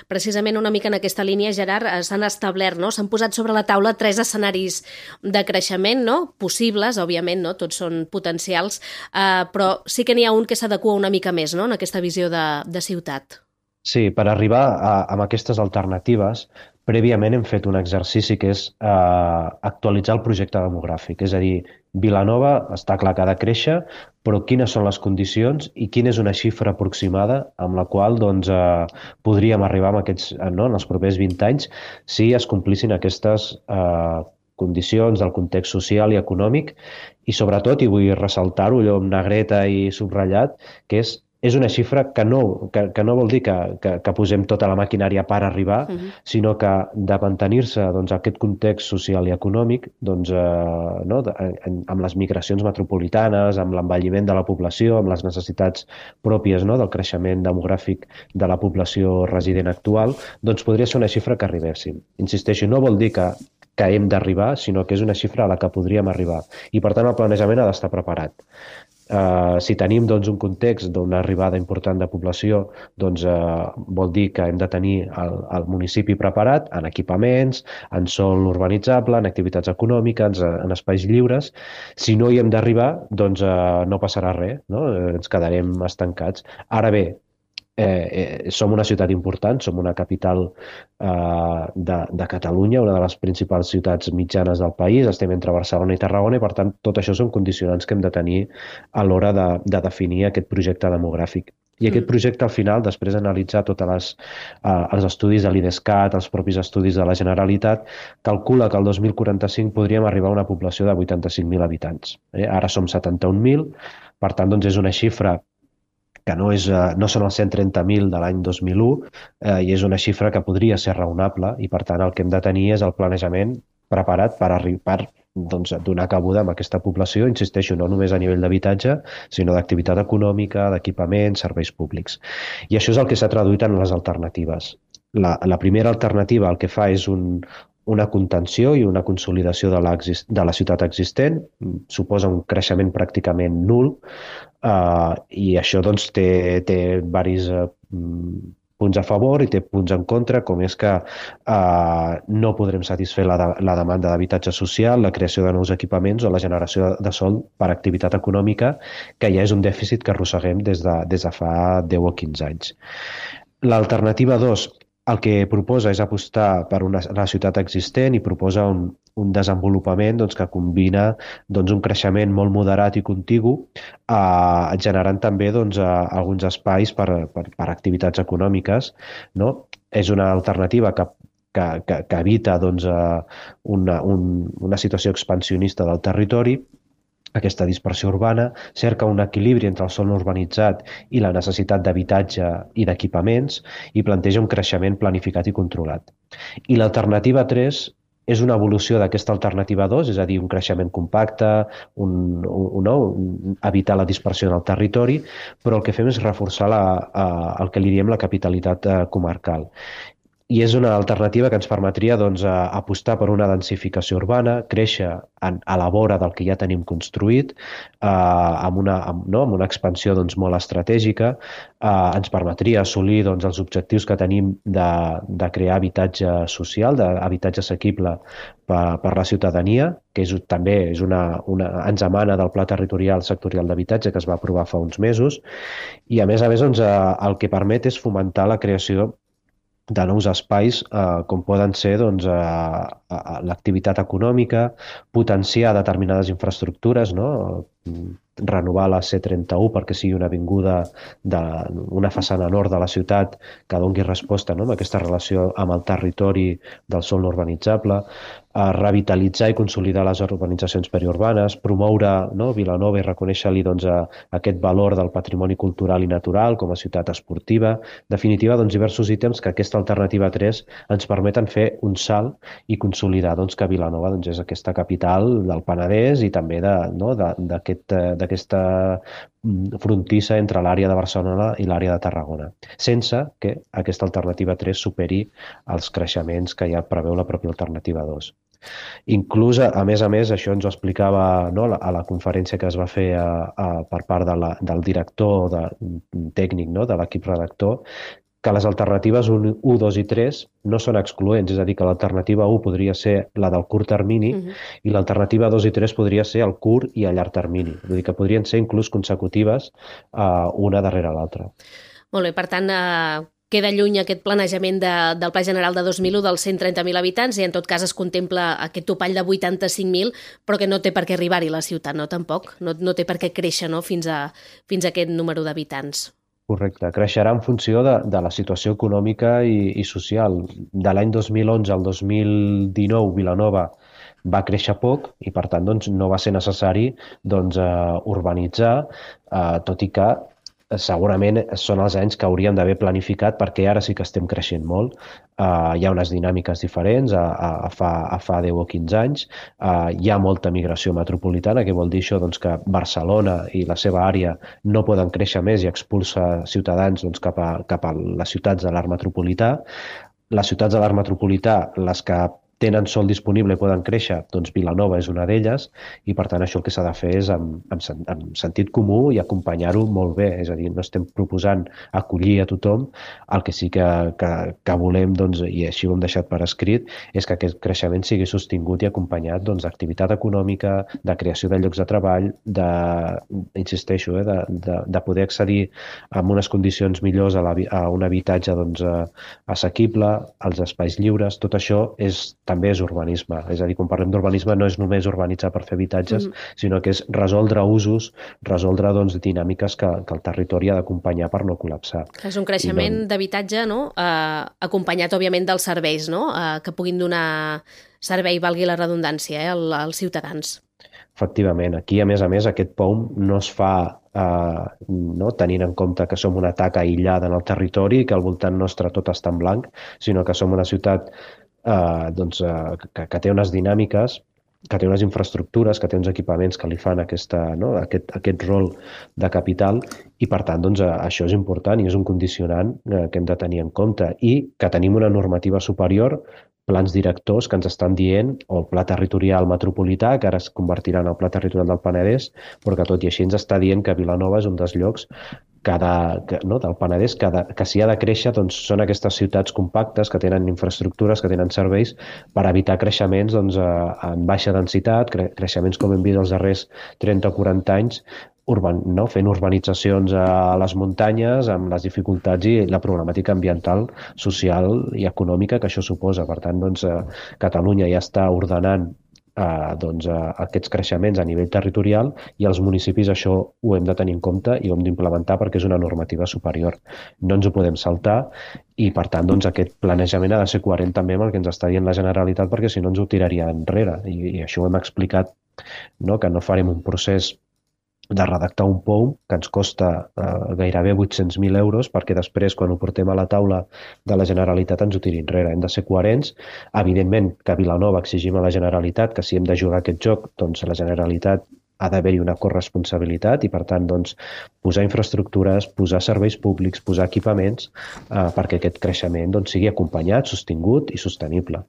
Precisament una mica en aquesta línia, Gerard, s'han establert, s'han posat sobre la taula 3 escenaris de creixement, possibles, òbviament, tots són potencials, però sí que n'hi ha un que s'adequa una mica més, en aquesta visió de ciutat. Sí, per arribar a aquestes alternatives, prèviament hem fet un exercici que és actualitzar el projecte demogràfic. És a dir, Vilanova està clar que ha de créixer, però quines són les condicions i quina és una xifra aproximada amb la qual podríem arribar en els propers 20 anys si es complissin aquestes condicions, del context social i econòmic, i sobretot, i vull ressaltar-ho allò amb negreta i subratllat, que és una xifra que no vol dir que posem tota la maquinària per arribar, sinó que de mantenir-se aquest context social i econòmic, amb les migracions metropolitanes, amb l'envelliment de la població, amb les necessitats pròpies del creixement demogràfic de la població resident actual, doncs podria ser una xifra que arribéssim. Insisteixo, no vol dir que hem d'arribar, sinó que és una xifra a la que podríem arribar. I, per tant, el planejament ha d'estar preparat. Si tenim un context d'una arribada important de població, vol dir que hem de tenir el municipi preparat en equipaments, en sòl urbanitzable, en activitats econòmiques, en espais lliures. Si no hi hem d'arribar, no passarà res, no? Ens quedarem estancats. Ara bé, som una ciutat important, som una capital de Catalunya, una de les principals ciutats mitjanes del país, estem entre Barcelona i Tarragona i, per tant, tot això són condicionants que hem de tenir a l'hora de definir aquest projecte demogràfic. I aquest projecte, al final, després d'analitzar tots els estudis de l'IDESCAT, els propis estudis de la Generalitat, calcula que el 2045 podríem arribar a una població de 85.000 habitants. Ara som 71.000, per tant, és una xifra que no són els 130.000 de l'any 2001, i és una xifra que podria ser raonable, i per tant el que hem de tenir és el planejament preparat per donar cabuda amb aquesta població, insisteixo, no només a nivell d'habitatge, sinó d'activitat econòmica, d'equipaments, serveis públics. I això és el que s'ha traduït en les alternatives. La primera alternativa el que fa és una contenció i una consolidació de la ciutat existent, suposa un creixement pràcticament nul, i això té diversos punts a favor i té punts en contra, com és que no podrem satisfer la demanda d'habitatge social, la creació de nous equipaments o la generació de sòl per activitat econòmica, que ja és un dèficit que arrosseguem des de fa 10 o 15 anys. L'alternativa 2, el que proposa és apostar per la ciutat existent i proposa un desenvolupament que combina un creixement molt moderat i contigu, generant també alguns espais per activitats econòmiques. És una alternativa que evita una situació expansionista del territori, aquesta dispersió urbana, cerca un equilibri entre el sòl no urbanitzat i la necessitat d'habitatge i d'equipaments i planteja un creixement planificat i controlat. I l'alternativa 3 és una evolució d'aquesta alternativa 2, és a dir, un creixement compacte, evitar la dispersió en el territori, però el que fem és reforçar el que li diem la capitalitat comarcal. I és una alternativa que ens permetria apostar per una densificació urbana, créixer a la vora del que ja tenim construït, amb una expansió molt estratègica, ens permetria assolir els objectius que tenim de crear habitatge social, d'habitatge assequible per la ciutadania, que també ens emana del Pla Territorial Sectorial d'Habitatge que es va aprovar fa uns mesos, i a més el que permet és fomentar la creació de nous espais, com poden ser l'activitat econòmica, potenciar determinades infraestructures, renovar la C31 perquè sigui una avinguda d'una façana nord de la ciutat que doni resposta a aquesta relació amb el territori del sòl no urbanitzable, revitalitzar i consolidar les urbanitzacions periurbanes, promoure Vilanova i reconèixer-li aquest valor del patrimoni cultural i natural com a ciutat esportiva. En definitiva, diversos ítems que aquesta alternativa 3 ens permeten fer un salt i consolidar que Vilanova és aquesta capital del Penedès i també d'aquesta frontissa entre l'àrea de Barcelona i l'àrea de Tarragona, sense que aquesta alternativa 3 superi els creixements que ja preveu la pròpia alternativa 2. Inclús, a més, això ens ho explicava a la conferència que es va fer per part del director tècnic de l'equip redactor, que les alternatives 1, 2 i 3 no són excloents, és a dir, que l'alternativa 1 podria ser la del curt termini i l'alternativa 2 i 3 podria ser el curt i a llarg termini. Vull dir que podrien ser inclús consecutives una darrere l'altra. Molt bé, per tant, queda lluny aquest planejament del Pla General de 2001 dels 130.000 habitants i en tot cas es contempla aquest topall de 85.000, però que no té per què arribar-hi la ciutat, no? Tampoc. No té per què créixer fins a aquest número d'habitants. Correcte. Creixerà en funció de la situació econòmica i social. De l'any 2011 al 2019, Vilanova va créixer poc i per tant doncs, no va ser necessari doncs, urbanitzar, tot i que segurament són els anys que hauríem d'haver planificat perquè ara sí que estem creixent molt. Hi ha unes dinàmiques diferents a fa 10 o 15 anys. Hi ha molta migració metropolitana, que vol dir això doncs, que Barcelona i la seva àrea no poden créixer més i expulsa ciutadans doncs, cap a les ciutats de l'arc metropolità. Les ciutats de l'arc metropolità, les que tenen sol disponible i poden créixer, doncs Vilanova és una d'elles i per tant això el que s'ha de fer és amb sentit comú i acompanyar-ho molt bé, és a dir, no estem proposant acollir a tothom, el que sí que volem, doncs, i així ho hem deixat per escrit, és que aquest creixement sigui sostingut i acompanyat d'activitat econòmica, de creació de llocs de treball, insisteixo, de poder accedir en unes condicions millors a un habitatge assequible, als espais lliures, tot això també és urbanisme. És a dir, quan parlem d'urbanisme no és només urbanitzar per fer habitatges, sinó que és resoldre usos, resoldre dinàmiques que el territori ha d'acompanyar per no col·lapsar. És un creixement d'habitatge, no? Acompanyat, òbviament, dels serveis, no? Que puguin donar servei, valgui la redundància, als ciutadans. Efectivament, aquí a més, aquest POUM no es fa tenint en compte que som una taca aïllada en el territori i que al voltant nostre tot està en blanc, sinó que som una ciutat que té unes dinàmiques, que té unes infraestructures, que té uns equipaments que li fan aquest rol de capital i, per tant, això és important i és un condicionant que hem de tenir en compte i que tenim una normativa superior, plans directors que ens estan dient, o el pla territorial metropolità, que ara es convertirà en el pla territorial del Penedès, però que tot i així ens està dient que Vilanova és un dels llocs del Penedès que si ha de créixer són aquestes ciutats compactes que tenen infraestructures, que tenen serveis per evitar creixements en baixa densitat, creixements com hem vist els darrers 30 o 40 anys, fent urbanitzacions a les muntanyes amb les dificultats i la problemàtica ambiental, social i econòmica que això suposa. Per tant, Catalunya ja està ordenant aquests creixements a nivell territorial i els municipis això ho hem de tenir en compte i ho hem d'implementar perquè és una normativa superior. No ens ho podem saltar i, per tant, aquest planejament ha de ser coherent també amb el que ens està dient la Generalitat perquè si no ens ho tiraria enrere i això ho hem explicat, que no farem un procés de redactar un POUM que ens costa gairebé 800.000 euros perquè després, quan ho portem a la taula de la Generalitat, ens ho tiri enrere. Hem de ser coherents. Evidentment que a Vilanova exigim a la Generalitat que si hem de jugar aquest joc, doncs la Generalitat ha d'haver-hi una corresponsabilitat i, per tant, posar infraestructures, posar serveis públics, posar equipaments perquè aquest creixement sigui acompanyat, sostingut i sostenible.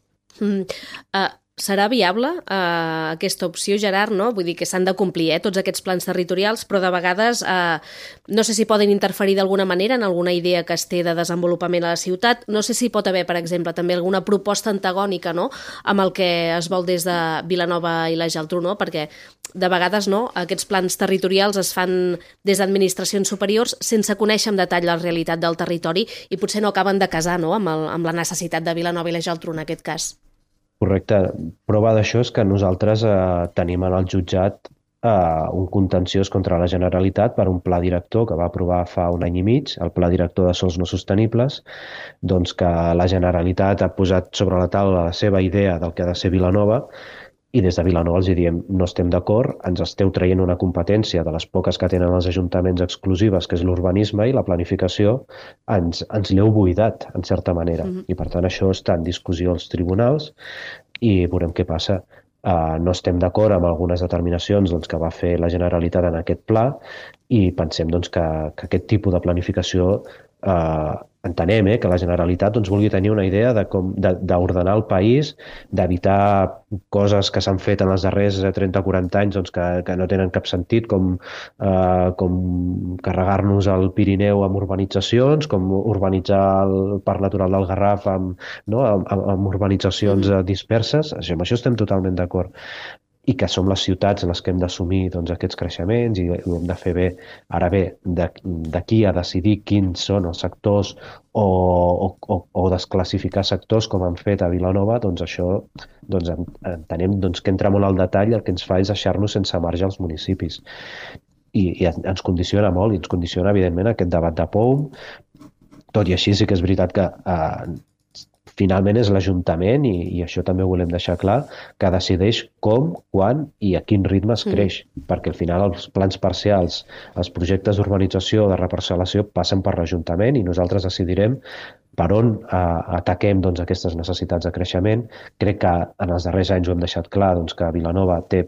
Serà viable aquesta opció, Gerard, no? Vull dir que s'han de complir tots aquests plans territorials, però de vegades no sé si poden interferir d'alguna manera en alguna idea que es té de desenvolupament a la ciutat. No sé si pot haver, per exemple, també alguna proposta antagònica, no?, amb el que es vol des de Vilanova i la Geltrú, no? Perquè de vegades aquests plans territorials es fan des d'administracions superiors sense conèixer en detall la realitat del territori i potser no acaben de casar amb la necessitat de Vilanova i la Geltrú en aquest cas. Correcte. Prova d'això és que nosaltres tenim en el jutjat un contenciós contra la Generalitat per un pla director que va aprovar fa un any i mig, el Pla Director de Sòls No Sostenibles, que la Generalitat ha posat sobre la taula la seva idea del que ha de ser Vilanova i des de Vilanova els diem no estem d'acord, ens esteu traient una competència de les poques que tenen els ajuntaments exclusives, que és l'urbanisme i la planificació, ens l'heu buidat, en certa manera. I per tant això està en discussió als tribunals i veurem què passa. No estem d'acord amb algunes determinacions que va fer la Generalitat en aquest pla i pensem que aquest tipus de planificació entenem que la Generalitat vulgui tenir una idea d'ordenar el país, d'evitar coses que s'han fet en els darrers 30 o 40 anys que no tenen cap sentit, com carregar-nos el Pirineu amb urbanitzacions, com urbanitzar el Parc Natural del Garraf amb urbanitzacions disperses. Amb això estem totalment d'acord. I que som les ciutats en les que hem d'assumir aquests creixements i ho hem de fer bé. Ara bé, d'aquí a decidir quins són els sectors o desclassificar sectors com han fet a Vilanova, això entenem que entra molt al detall, el que ens fa és deixar-nos sense marge als municipis. I ens condiciona molt, i ens condiciona evidentment aquest debat de POUM. Tot i així sí que és veritat que finalment és l'Ajuntament, i això també ho volem deixar clar, que decideix com, quan i a quin ritme es creix, perquè al final els plans parcials, els projectes d'urbanització o de reparcel·lació passen per l'Ajuntament i nosaltres decidirem per on ataquem aquestes necessitats de creixement. Crec que en els darrers anys ho hem deixat clar que Vilanova té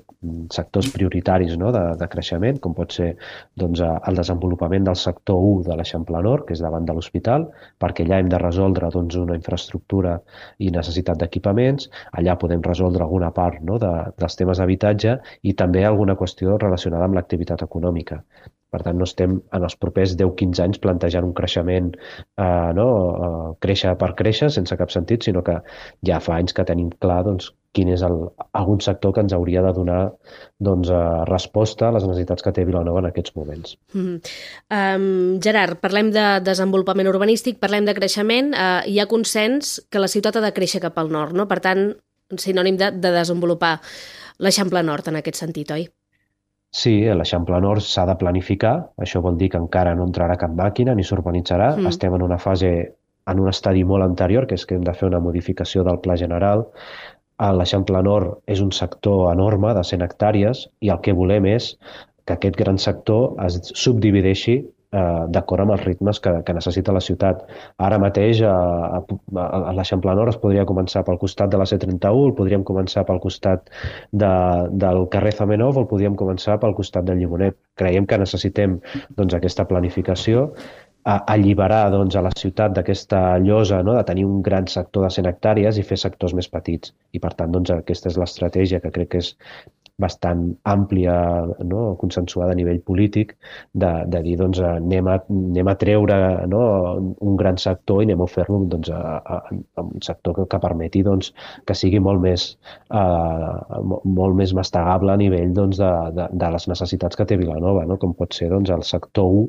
sectors prioritaris de creixement, com pot ser el desenvolupament del sector 1 de l'Eixample Nord, que és davant de l'hospital, perquè allà hem de resoldre una infraestructura i necessitat d'equipaments, allà podem resoldre alguna part dels temes d'habitatge i també alguna qüestió relacionada amb l'activitat econòmica. Per tant, no estem en els propers 10-15 anys plantejant un creixement, créixer per créixer, sense cap sentit, sinó que ja fa anys que tenim clar quin és algun sector que ens hauria de donar resposta a les necessitats que té Vilanova en aquests moments. Gerard, parlem de desenvolupament urbanístic, parlem de creixement. Hi ha consens que la ciutat ha de créixer cap al nord, no? Per tant, sinònim de desenvolupar l'Eixample Nord en aquest sentit, oi? Sí, l'Eixample Nord s'ha de planificar, això vol dir que encara no entrarà cap màquina ni s'urbanitzarà, estem en una fase, en un estadi molt anterior, que és que hem de fer una modificació del Pla General. L'Eixample Nord és un sector enorme de 100 hectàrees i el que volem és que aquest gran sector es subdivideixi d'acord amb els ritmes que necessita la ciutat. Ara mateix a l'Eixample Nord es podria començar pel costat de la C31, el podríem començar pel costat del carrer Zamenhof o el podríem començar pel costat del Llimonet. Creiem que necessitem aquesta planificació, alliberar a la ciutat d'aquesta llosa de tenir un gran sector de 100 hectàrees i fer sectors més petits. I per tant, aquesta és l'estratègia que crec que és bastant àmplia, consensuada a nivell polític, de dir anem a treure un gran sector i anem a fer-lo un sector que permeti que sigui molt més mastegable a nivell de les necessitats que té Vilanova, com pot ser el sector 1,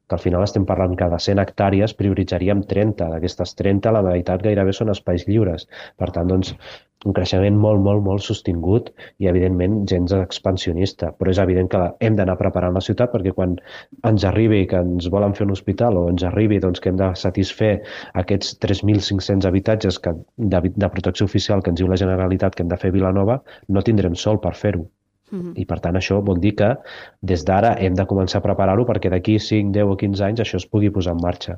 que al final estem parlant que de 100 hectàrees prioritzaríem 30. D'aquestes 30, la meitat gairebé són espais lliures. Per tant, un creixement molt, molt, molt sostingut i, evidentment, gens expansionista. Però és evident que hem d'anar preparant la ciutat perquè quan ens arribi que ens volen fer un hospital o ens arribi que hem de satisfer aquests 3.500 habitatges de protecció oficial que ens diu la Generalitat que hem de fer a Vilanova, no tindrem sol per fer-ho. I per tant això vol dir que des d'ara hem de començar a preparar-ho perquè d'aquí 5, 10 o 15 anys això es pugui posar en marxa.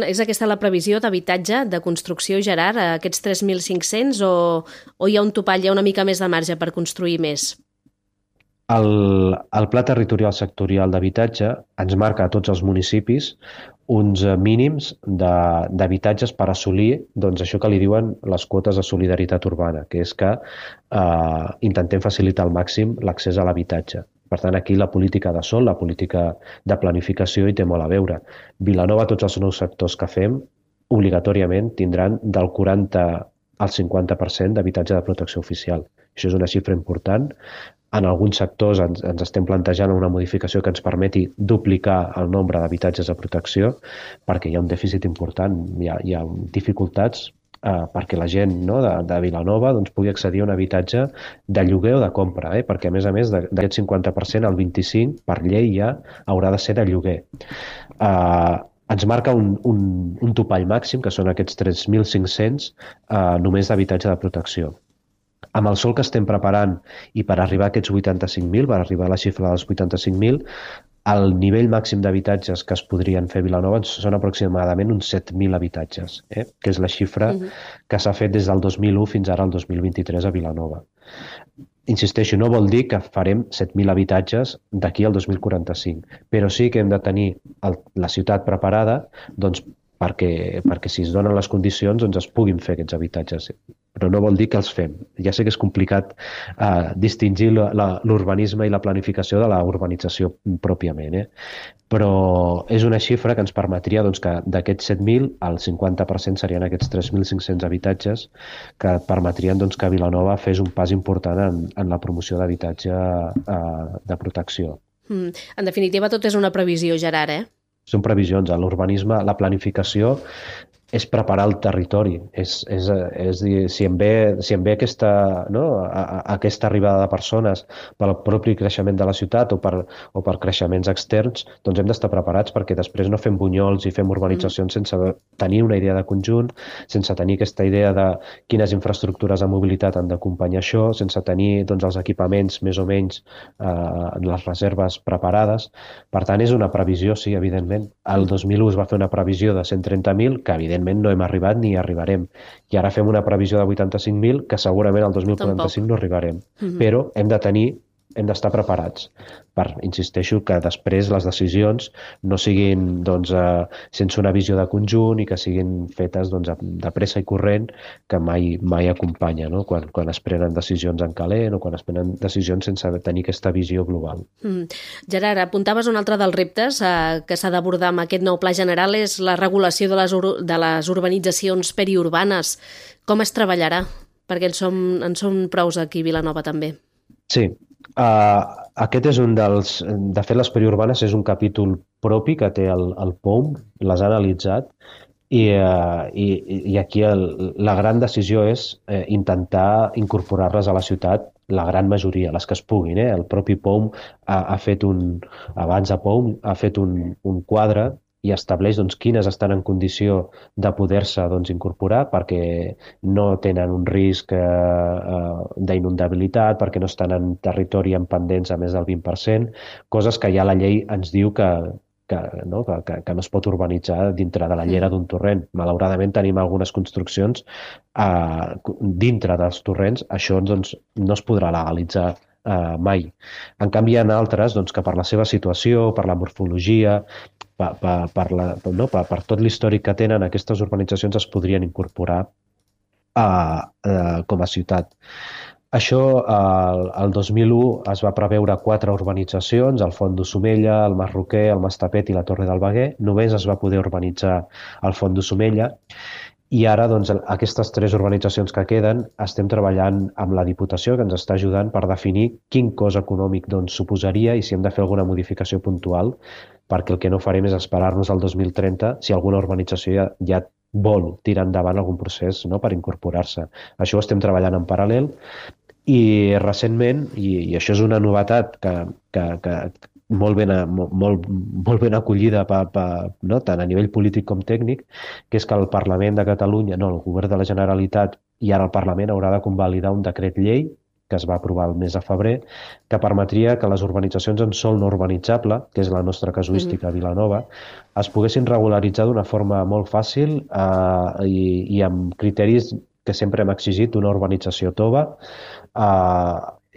És aquesta la previsió d'habitatge, de construcció, Gerard, aquests 3.500 o hi ha un topall, hi ha una mica més de marge per construir més? El Pla Territorial Sectorial d'Habitatge ens marca a tots els municipis uns mínims d'habitatges per assolir això que li diuen les quotes de solidaritat urbana, que és que intentem facilitar al màxim l'accés a l'habitatge. Per tant, aquí la política de sòl, la política de planificació hi té molt a veure. Vilanova, tots els nous sectors que fem, obligatòriament tindran del 40 al 50% d'habitatge de protecció oficial. Això és una xifra important. En alguns sectors ens estem plantejant una modificació que ens permeti duplicar el nombre d'habitatges de protecció perquè hi ha un dèficit important, hi ha dificultats perquè la gent de Vilanova pugui accedir a un habitatge de lloguer o de compra, perquè a més d'aquest 50% el 25% per llei ja haurà de ser de lloguer. Ens marca un topall màxim, que són aquests 3.500 només d'habitatge de protecció. Amb el sòl que estem preparant i per arribar a aquests 85.000, per arribar a la xifra dels 85.000, el nivell màxim d'habitatges que es podrien fer a Vilanova són aproximadament uns 7.000 habitatges, que és la xifra que s'ha fet des del 2001 fins ara al 2023 a Vilanova. Insisteixo, no vol dir que farem 7.000 habitatges d'aquí al 2045, però sí que hem de tenir la ciutat preparada perquè si es donen les condicions es puguin fer aquests habitatges. Però no vol dir que els fem. Ja sé que és complicat distingir l'urbanisme i la planificació de la urbanització pròpiament, però és una xifra que ens permetria que d'aquests 7.000 el 50% serien aquests 3.500 habitatges que permetrien que Vilanova fes un pas important en la promoció d'habitatge de protecció. En definitiva, tot és una previsió, Gerard, Són previsions. L'urbanisme, la planificació, és preparar el territori, és dir, si em ve aquesta, no, aquesta arribada de persones pel propi creixement de la ciutat o per creixements externs, doncs hem d'estar preparats perquè després no fem bunyols i fem urbanitzacions sense tenir una idea de conjunt, sense tenir aquesta idea de quines infraestructures de mobilitat han d'acompanyar això, sense tenir doncs, els equipaments més o menys les reserves preparades. Per tant, és una previsió, sí, evidentment. El 2001 es va fer una previsió de 130.000, que evidentment no hem arribat ni arribarem. I ara fem una previsió de 85.000, que segurament al 2045 no arribarem. Però hem d'estar preparats per, insisteixo, que després les decisions no siguin doncs, sense una visió de conjunt i que siguin fetes doncs, de pressa i corrent, que mai acompanya, no? Quan es prenen decisions en calent o quan es prenen decisions sense tenir aquesta visió global. Gerard, apuntaves un altre dels reptes que s'ha d'abordar amb aquest nou pla general, és la regulació de les urbanitzacions periurbanes. Com es treballarà? Perquè en som prous aquí a Vilanova també. Sí, aquest és un dels... De fet, les periurbanes és un capítol propi que té el POUM, les ha analitzat, i aquí la gran decisió és intentar incorporar-les a la ciutat, la gran majoria, les que es puguin. El propi POUM ha fet abans de POUM ha fet un quadre i estableix doncs, quines estan en condició de poder-se doncs, incorporar perquè no tenen un risc d'inundabilitat, perquè no estan en territori amb pendents a més del 20%, coses que ja la llei ens diu que no es pot urbanitzar dintre de la llera d'un torrent. Malauradament tenim algunes construccions dintre dels torrents, això doncs, no es podrà legalitzar mai. En canvi, hi ha altres doncs, que per la seva situació, per la morfologia, per tot l'històric que tenen, aquestes urbanitzacions es podrien incorporar com a ciutat. Això, el 2001 es va preveure 4 urbanitzacions, el Font d'Ossomella, el Mas Roquer, el Mas Tapet i la Torre del Veguer. Només es va poder urbanitzar el Font d'Ossomella. I ara, doncs, aquestes 3 urbanitzacions que queden, estem treballant amb la Diputació, que ens està ajudant per definir quin cost econòmic doncs, suposaria i si hem de fer alguna modificació puntual, perquè el que no farem és esperar-nos al 2030 si alguna urbanització ja vol tirar endavant algun procés, no?, per incorporar-se. Això ho estem treballant en paral·lel i recentment, i això és una novetat que molt ben acollida no, tant a nivell polític com tècnic, que és que el Parlament de Catalunya, el Govern de la Generalitat i ara el Parlament haurà de convalidar un decret llei que es va aprovar el mes de febrer, que permetria que les urbanitzacions en sòl no urbanitzable, que és la nostra casuística a Vilanova, es poguessin regularitzar d'una forma molt fàcil i amb criteris que sempre hem exigit d'una urbanització tova,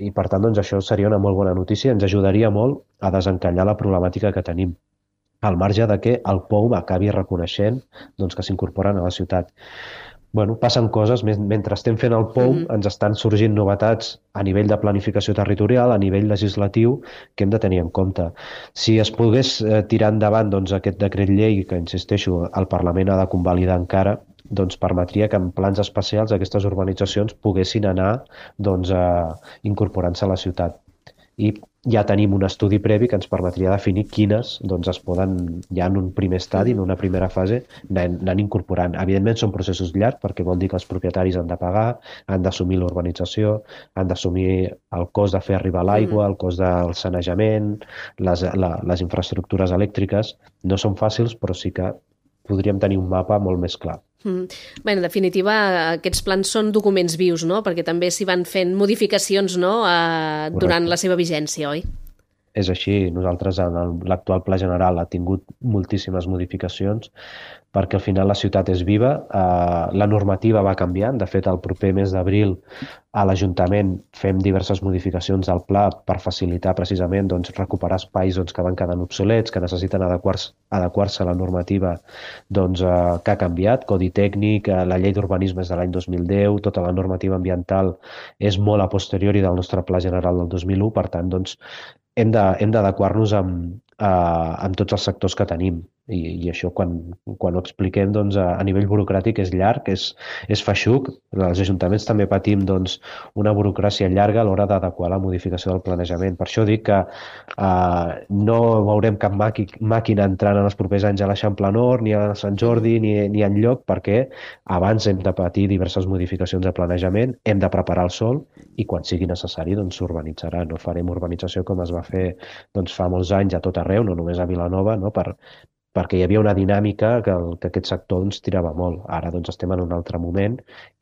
i per tant doncs, això seria una molt bona notícia, ens ajudaria molt a desencallar la problemàtica que tenim, al marge de que el POUM acabi reconeixent doncs, que s'incorporen a la ciutat. Bueno, passen coses, mentre estem fent el POUM ens estan sorgint novetats a nivell de planificació territorial, a nivell legislatiu, que hem de tenir en compte. Si es pogués tirar endavant doncs, aquest decret llei, que insisteixo, el Parlament ha de convalidar encara, doncs permetria que en plans especials aquestes urbanitzacions poguessin anar doncs, incorporant-se a la ciutat. I ja tenim un estudi previ que ens permetria definir quines doncs, es poden, ja en un primer estadi, en una primera fase, anar incorporant. Evidentment són processos llargs perquè vol dir que els propietaris han de pagar, han d'assumir l'urbanització, han d'assumir el cost de fer arribar l'aigua, el cost del sanejament, les infraestructures elèctriques. No són fàcils, però sí que podríem tenir un mapa molt més clar. Bé, en definitiva, aquests plans són documents vius, no? Perquè també s'hi van fent modificacions, no? Durant la seva vigència, oi? És així. Nosaltres, en l'actual Pla General, ha tingut moltíssimes modificacions perquè al final la ciutat és viva. La normativa va canviant. De fet, el proper mes d'abril a l'Ajuntament fem diverses modificacions del pla per facilitar precisament doncs, recuperar espais doncs, que van quedant obsolets, que necessiten adequar-se a la normativa doncs, que ha canviat. Codi tècnic, la llei d'urbanisme és de l'any 2010, tota la normativa ambiental és molt a posteriori del nostre Pla General del 2001, per tant, doncs, hem d'adequar-nos amb tots els sectors que tenim. I això quan ho expliquem doncs, a nivell burocràtic és llarg, és feixuc. Els ajuntaments també patim doncs, una burocràcia llarga a l'hora d'adequar la modificació del planejament. Per això dic que no veurem cap màquina entrant en els propers anys a l'Eixample Nord, ni a Sant Jordi, ni enlloc, perquè abans hem de patir diverses modificacions de planejament, hem de preparar el sòl i quan sigui necessari doncs, s'urbanitzarà. No farem urbanització com es va fer doncs, fa molts anys a tot arreu, no només a Vilanova, no? Perquè hi havia una dinàmica que aquest sector doncs, tirava molt. Ara doncs, estem en un altre moment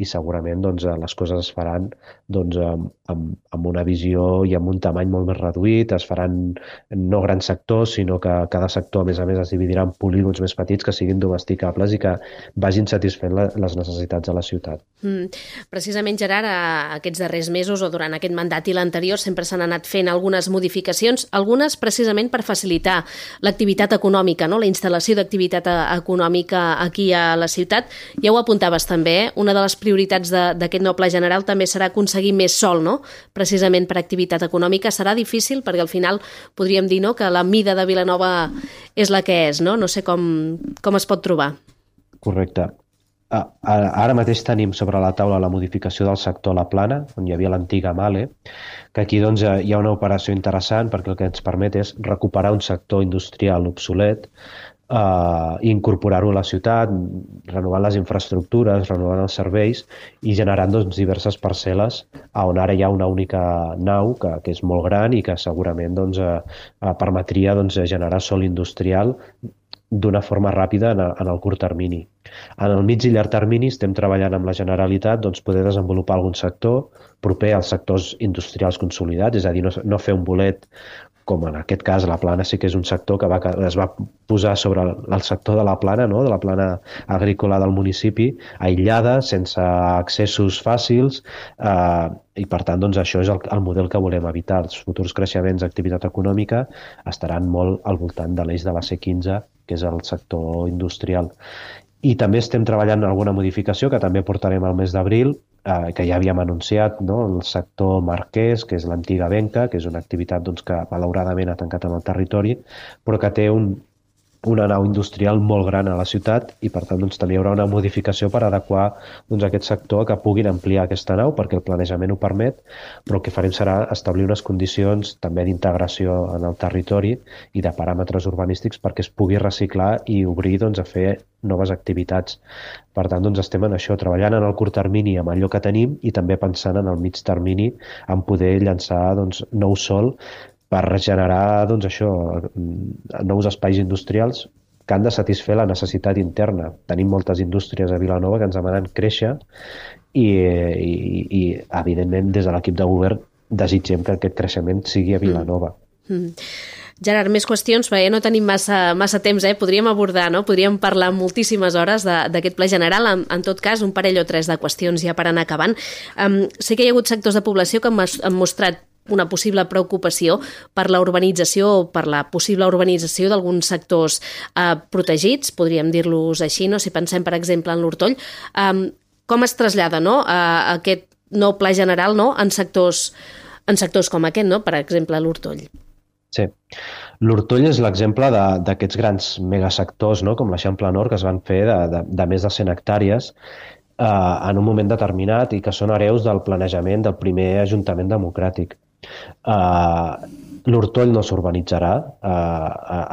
i segurament doncs, les coses es faran doncs, amb una visió i amb un tamany molt més reduït, es faran no grans sectors, sinó que cada sector, a més, es dividirà en polígons més petits que siguin domesticables i que vagin satisfent les necessitats de la ciutat. Precisament, Gerard, aquests darrers mesos o durant aquest mandat i l'anterior sempre s'han anat fent algunes modificacions, algunes precisament per facilitar l'activitat econòmica, no? La instal·lació d'activitat econòmica aquí a la ciutat. Ja ho apuntaves també, una de les prioritats d'aquest nou pla general també serà aconseguir més sòl, no? Precisament per activitat econòmica. Serà difícil perquè al final podríem dir, no?, que la mida de Vilanova és la que és, no? No sé com es pot trobar. Correcte. Ara mateix tenim sobre la taula la modificació del sector La Plana, on hi havia l'antiga Male, que aquí doncs, hi ha una operació interessant perquè el que ens permet és recuperar un sector industrial obsolet i incorporar-ho a la ciutat, renovant les infraestructures, renovant els serveis i generant doncs, diverses parcel·les on ara hi ha una única nau que és molt gran i que segurament doncs, permetria doncs, generar sòl industrial d'una forma ràpida en el curt termini. En el mig i llarg termini estem treballant amb la Generalitat doncs, poder desenvolupar algun sector proper als sectors industrials consolidats, és a dir, no fer un bolet com en aquest cas la Plana sí que és un sector que es va posar sobre el sector de la Plana, no? De la plana agrícola del municipi, aïllada, sense accessos fàcils i per tant doncs, això és el model que volem evitar. Els futurs creixements d'activitat econòmica estaran molt al voltant de l'eix de la C15, que és el sector industrial. I també estem treballant en alguna modificació que també portarem al mes d'abril, que ja havíem anunciat, no? El sector marquès, que és l'antiga Benca, que és una activitat doncs, que malauradament ha tancat en el territori, però que té una nau industrial molt gran a la ciutat i per tant doncs, també hi haurà una modificació per adequar doncs, aquest sector que puguin ampliar aquesta nau perquè el planejament ho permet, però el que farem serà establir unes condicions també d'integració en el territori i de paràmetres urbanístics perquè es pugui reciclar i obrir doncs, a fer noves activitats. Per tant, doncs, estem en això, treballant en el curt termini amb allò que tenim i també pensant en el mig termini en poder llançar doncs, nou sòl per generar doncs, això, nous espais industrials que han de satisfer la necessitat interna. Tenim moltes indústries a Vilanova que ens demanen créixer i evidentment, des de l'equip de govern desitgem que aquest creixement sigui a Vilanova. Gerard, més qüestions, perquè no tenim massa temps, podríem abordar, no? Podríem parlar moltíssimes hores d'aquest pla general, en tot cas un parell o tres de qüestions ja per anar acabant. Sé que hi ha hagut sectors de població que han mostrat una possible preocupació per la urbanització o per la possible urbanització d'alguns sectors protegits, podríem dir-los així, no? Si pensem, per exemple, en l'Hortoll. Com es trasllada, no? Aquest nou pla general, no? en sectors com aquest, no? Per exemple, l'Hortoll. Sí. L'Hortoll és l'exemple d'aquests grans megasectors, no? Com l'Eixample Nord, que es van fer de més de 100 hectàrees en un moment determinat i que són hereus del planejament del primer Ajuntament democràtic. L'Hortoll no s'urbanitzarà.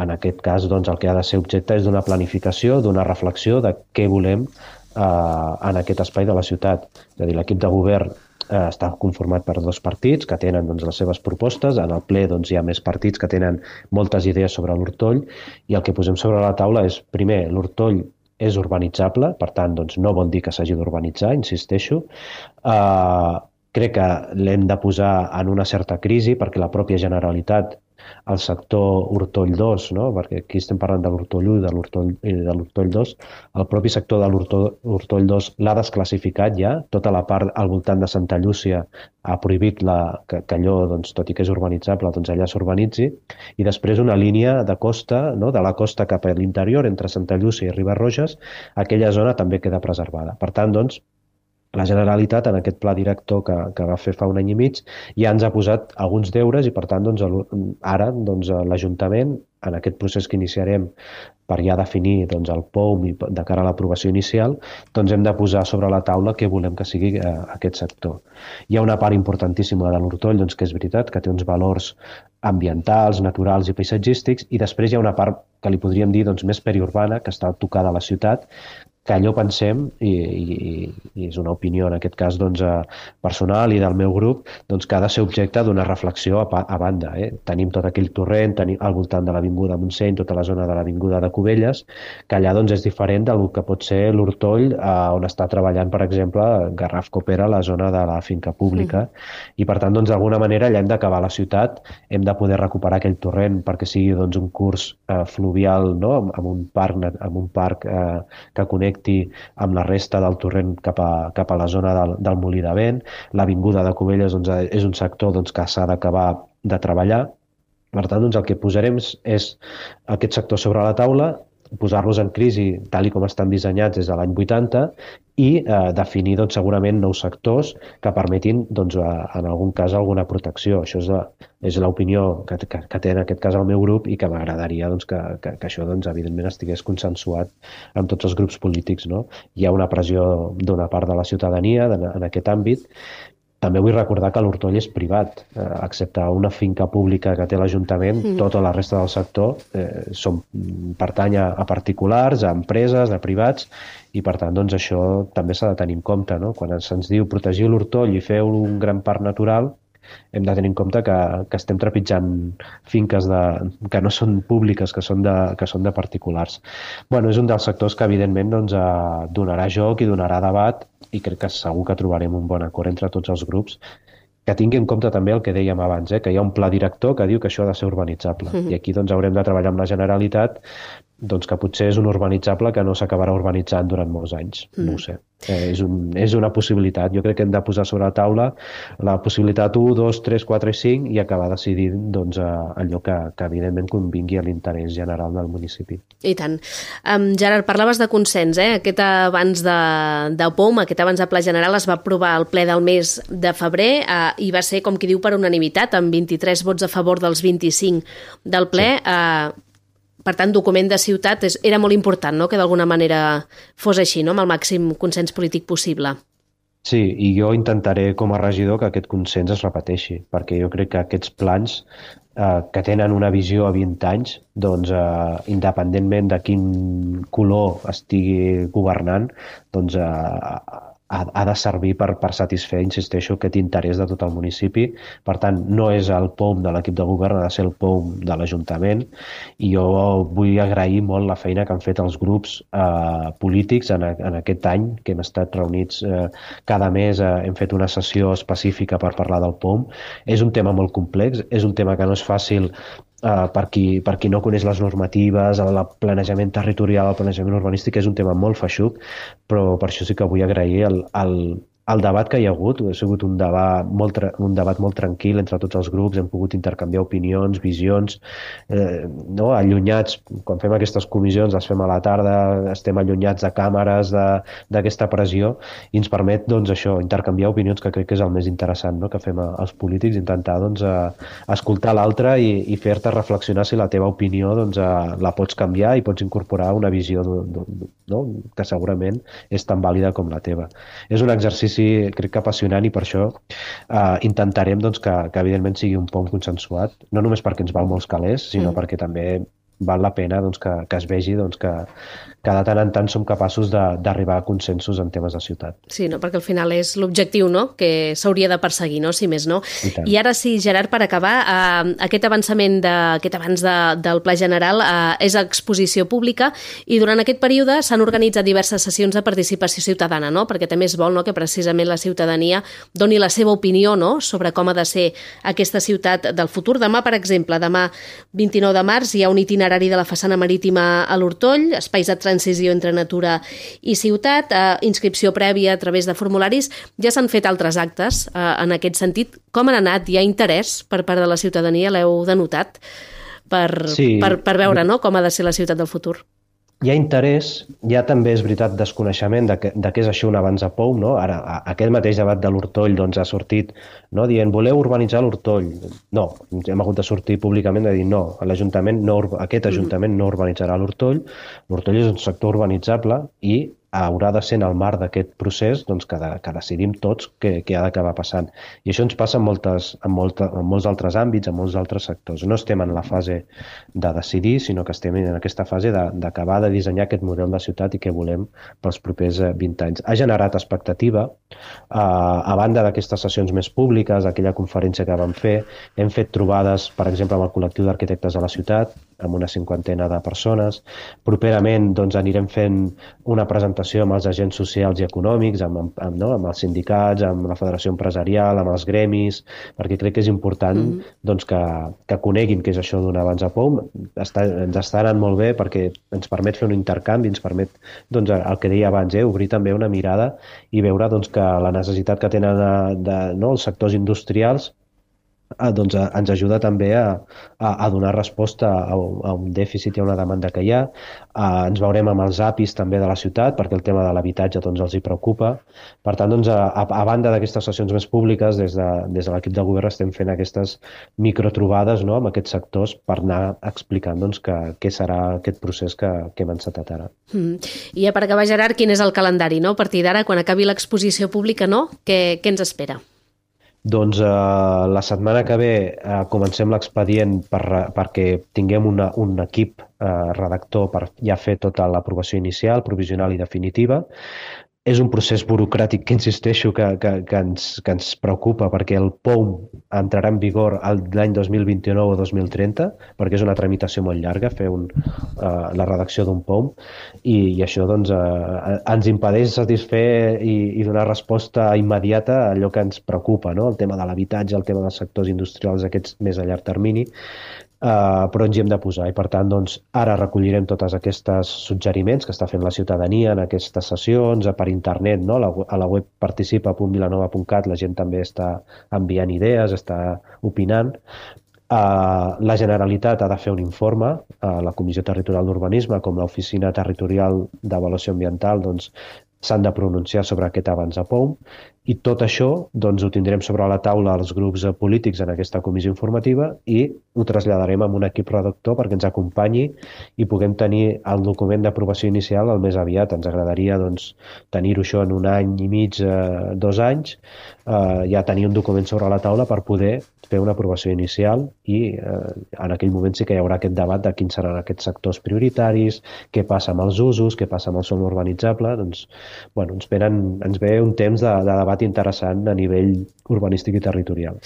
En aquest cas, doncs, el que ha de ser objecte és d'una planificació, d'una reflexió de què volem en aquest espai de la ciutat. És a dir, l'equip de govern està conformat per 2 partits que tenen doncs, les seves propostes. En el ple doncs, hi ha més partits que tenen moltes idees sobre l'Hortoll i el que posem sobre la taula és, primer, l'Hortoll és urbanitzable, per tant, doncs, no vol dir que s'hagi d'urbanitzar, insisteixo. Crec que l'hem de posar en una certa crisi perquè la pròpia Generalitat, el sector Hortoll 2, no? Perquè aquí estem parlant de l'Hortoll 1 i de l'Hortoll 2, el propi sector de l'Hortoll 2 l'ha desclassificat ja, tota la part al voltant de Santa Llúcia ha prohibit que allò, doncs, tot i que és urbanitzable, doncs allà s'urbanitzi, i després una línia de costa, no? De la costa cap a l'interior, entre Santa Llúcia i Riba-roges, aquella zona també queda preservada. Per tant, doncs, la Generalitat, en aquest pla director que va fer fa un any i mig, ja ens ha posat alguns deures i, per tant, doncs, ara doncs, l'Ajuntament en aquest procés que iniciarem per ja definir doncs, el POUM i de cara a l'aprovació inicial, doncs hem de posar sobre la taula què volem que sigui aquest sector. Hi ha una part importantíssima de l'Hortoll, doncs, que és veritat, que té uns valors ambientals, naturals i paisatgístics, i després hi ha una part que li podríem dir doncs, més periurbana, que està tocada a la ciutat, que allò pensem, i és una opinió en aquest cas doncs, personal i del meu grup, doncs, que ha de ser objecte d'una reflexió a banda. Tenim tot aquell torrent, tenim al voltant de l'Avinguda Montseny, tota la zona de l'Avinguda de Cubelles, que allà doncs, és diferent del que pot ser l'Hortoll, on està treballant, per exemple, Garraf Copera, la zona de la finca pública, i per tant, doncs, d'alguna manera, allà hem d'acabar la ciutat, hem de poder recuperar aquell torrent perquè sigui doncs, un curs fluvial, no? amb un parc que connecti amb la resta del torrent cap a la zona del Molí de Vent. L'Avinguda de Cubelles doncs, és un sector doncs, que s'ha d'acabar de treballar. Per tant, doncs, el que posarem és aquest sector sobre la taula, posar-los en crisi tal com estan dissenyats des de l'any 80 i definir doncs, segurament nous sectors que permetin doncs, en algun cas alguna protecció. Això és l'opinió que té en aquest cas el meu grup i que m'agradaria doncs, que això doncs, evidentment estigués consensuat amb tots els grups polítics. No? Hi ha una pressió d'una part de la ciutadania en aquest àmbit. També vull recordar que l'Hortoll és privat, excepte una finca pública que té l'Ajuntament, tota la resta del sector pertany a particulars, a empreses, a privats, i per tant doncs, això també s'ha de tenir en compte. No? Quan se'ns diu protegir l'Hortoll i fer un gran parc natural, hem de tenir en compte que estem trepitjant finques que no són públiques, que són de particulars. Bueno, és un dels sectors que evidentment doncs, donarà joc i donarà debat i crec que segur que trobarem un bon acord entre tots els grups, que tingui en compte també el que dèiem abans, que hi ha un pla director que diu que això ha de ser urbanitzable. I aquí doncs, haurem de treballar amb la Generalitat doncs, que potser és un urbanitzable que no s'acabarà urbanitzant durant molts anys. No ho sé. És una possibilitat. Jo crec que hem de posar sobre la taula la possibilitat 1, 2, 3, 4 i 5 i acabar decidint doncs, allò que evidentment convingui a l'interès general del municipi. I tant. Gerard, parlaves de consens, Aquest abans de POUM, aquest abans de Pla General es va aprovar al ple del mes de febrer i va ser, com qui diu, per unanimitat, amb 23 vots a favor dels 25 del ple. Sí. Per tant, document de ciutat era molt important, no?, que d'alguna manera fos així, no?, amb el màxim consens polític possible. Sí, i jo intentaré com a regidor que aquest consens es repeteixi, perquè jo crec que aquests plans que tenen una visió a 20 anys, doncs, independentment de quin color estigui governant, doncs, ha de servir per satisfer, insisteixo, aquest interès de tot el municipi. Per tant, no és el POUM de l'equip de govern, ha de ser el POUM de l'Ajuntament, i jo vull agrair molt la feina que han fet els grups polítics en aquest any, que hem estat reunits cada mes, hem fet una sessió específica per parlar del POUM. És un tema molt complex, és un tema que no és fàcil per qui no coneix les normatives, el planejament territorial, el planejament urbanístic, és un tema molt feixuc, però per això sí que vull agrair el debat que hi ha hagut. Ha sigut un debat molt tranquil entre tots els grups, hem pogut intercanviar opinions, visions, no? Allunyats, quan fem aquestes comissions, les fem a la tarda, estem allunyats de càmeres, d'aquesta pressió, i ens permet doncs, això, intercanviar opinions, que crec que és el més interessant, no?, que fem els polítics, intentar doncs, escoltar l'altre i fer-te reflexionar si la teva opinió doncs, la pots canviar i pots incorporar una visió no? que segurament és tan vàlida com la teva. És un exercici crec que apassionant, i per això intentarem doncs, que evidentment sigui un POUM consensuat, no només perquè ens val molts calés, sinó perquè també val la pena doncs, que es vegi doncs, que de tant en tant som capaços d'arribar a consensos en temes de ciutat. Sí, no? Perquè al final és l'objectiu, no?, que s'hauria de perseguir, no?, si més no. I ara sí, Gerard, per acabar, aquest avançament aquest abans del Pla General és exposició pública, i durant aquest període s'han organitzat diverses sessions de participació ciutadana, no?, perquè també es vol, no?, que precisament la ciutadania doni la seva opinió, no?, sobre com ha de ser aquesta ciutat del futur. Demà, per exemple, demà 29 de març hi ha un itinerari de la façana marítima a l'Hortoll, espais de transició entre natura i ciutat, inscripció prèvia a través de formularis. Ja s'han fet altres actes en aquest sentit. Com han anat? Hi ha interès per part de la ciutadania? L'heu denotat per veure, no?, com ha de ser la ciutat del futur? hi ha interès, hi ha també, és veritat, desconeixement de què és això un avanç a POUM, no? Ara, aquest mateix debat de l'Hortoll doncs, ha sortit, no? Dient, voleu urbanitzar l'Hortoll? No, hem hagut de sortir públicament de dir no, aquest Ajuntament no urbanitzarà l'Hortoll. L'Hortoll és un sector urbanitzable i haurà de ser en el marc d'aquest procés doncs, que decidim tots què ha d'acabar passant. I això ens passa en molts altres àmbits, en molts altres sectors. No estem en la fase de decidir, sinó que estem en aquesta fase d'acabar de dissenyar aquest model de ciutat i què volem pels propers 20 anys. Ha generat expectativa. A banda d'aquestes sessions més públiques, aquella conferència que vam fer, hem fet trobades, per exemple, amb el col·lectiu d'arquitectes de la ciutat, amb una 50 de persones. Properament doncs, anirem fent una presentació amb els agents socials i econòmics, amb els sindicats, amb la federació empresarial, amb els gremis, perquè crec que és important doncs, que coneguin què és això d'un avanç a POUM. Ens està anant molt bé perquè ens permet fer un intercanvi, ens permet, doncs, el que deia abans, obrir també una mirada i veure doncs, que la necessitat que tenen els sectors industrials doncs ens ajuda també a donar resposta a un dèficit i a una demanda que hi ha. Ens veurem amb els APIs també de la ciutat, perquè el tema de l'habitatge doncs, els hi preocupa. Per tant, doncs, a banda d'aquestes sessions més públiques, des de l'equip de govern estem fent aquestes microtrobades, no?, amb aquests sectors per anar explicant doncs, què serà aquest procés que hem encetat ara. I ja per acabar, Gerard, quin és el calendari, no? A partir d'ara, quan acabi l'exposició pública, no? Què ens espera? Doncs la setmana que ve comencem l'expedient perquè tinguem un equip redactor per ja fer tota l'aprovació inicial, provisional i definitiva. És un procés burocràtic que insisteixo que ens preocupa perquè el POUM entrarà en vigor l'any 2029 o 2030, perquè és una tramitació molt llarga fer la redacció d'un POUM i això doncs, ens impedeix satisfer i donar resposta immediata a allò que ens preocupa, no? El tema de l'habitatge, el tema dels sectors industrials aquests més a llarg termini. Però ens hi hem de posar i per tant doncs, ara recollirem tots aquests suggeriments que està fent la ciutadania en aquestes sessions, per internet, no? A la web participa.vilanova.cat la gent també està enviant idees, està opinant. La Generalitat ha de fer un informe, la Comissió Territorial d'Urbanisme com l'Oficina Territorial d'Avaluació Ambiental doncs, s'han de pronunciar sobre aquest avanç a POUM i tot això doncs, ho tindrem sobre la taula els grups polítics en aquesta comissió informativa i ho traslladarem a un equip redactor perquè ens acompanyi i puguem tenir el document d'aprovació inicial el més aviat. Ens agradaria doncs, tenir-ho això en 1 any i mig, 2 anys, ja tenir un document sobre la taula per poder fer una aprovació inicial i en aquell moment sí que hi haurà aquest debat de quins seran aquests sectors prioritaris, què passa amb els usos, què passa amb el sòl urbanitzable. Doncs, bueno, ens ve un temps de debat interessant a nivell urbanístic i territorial.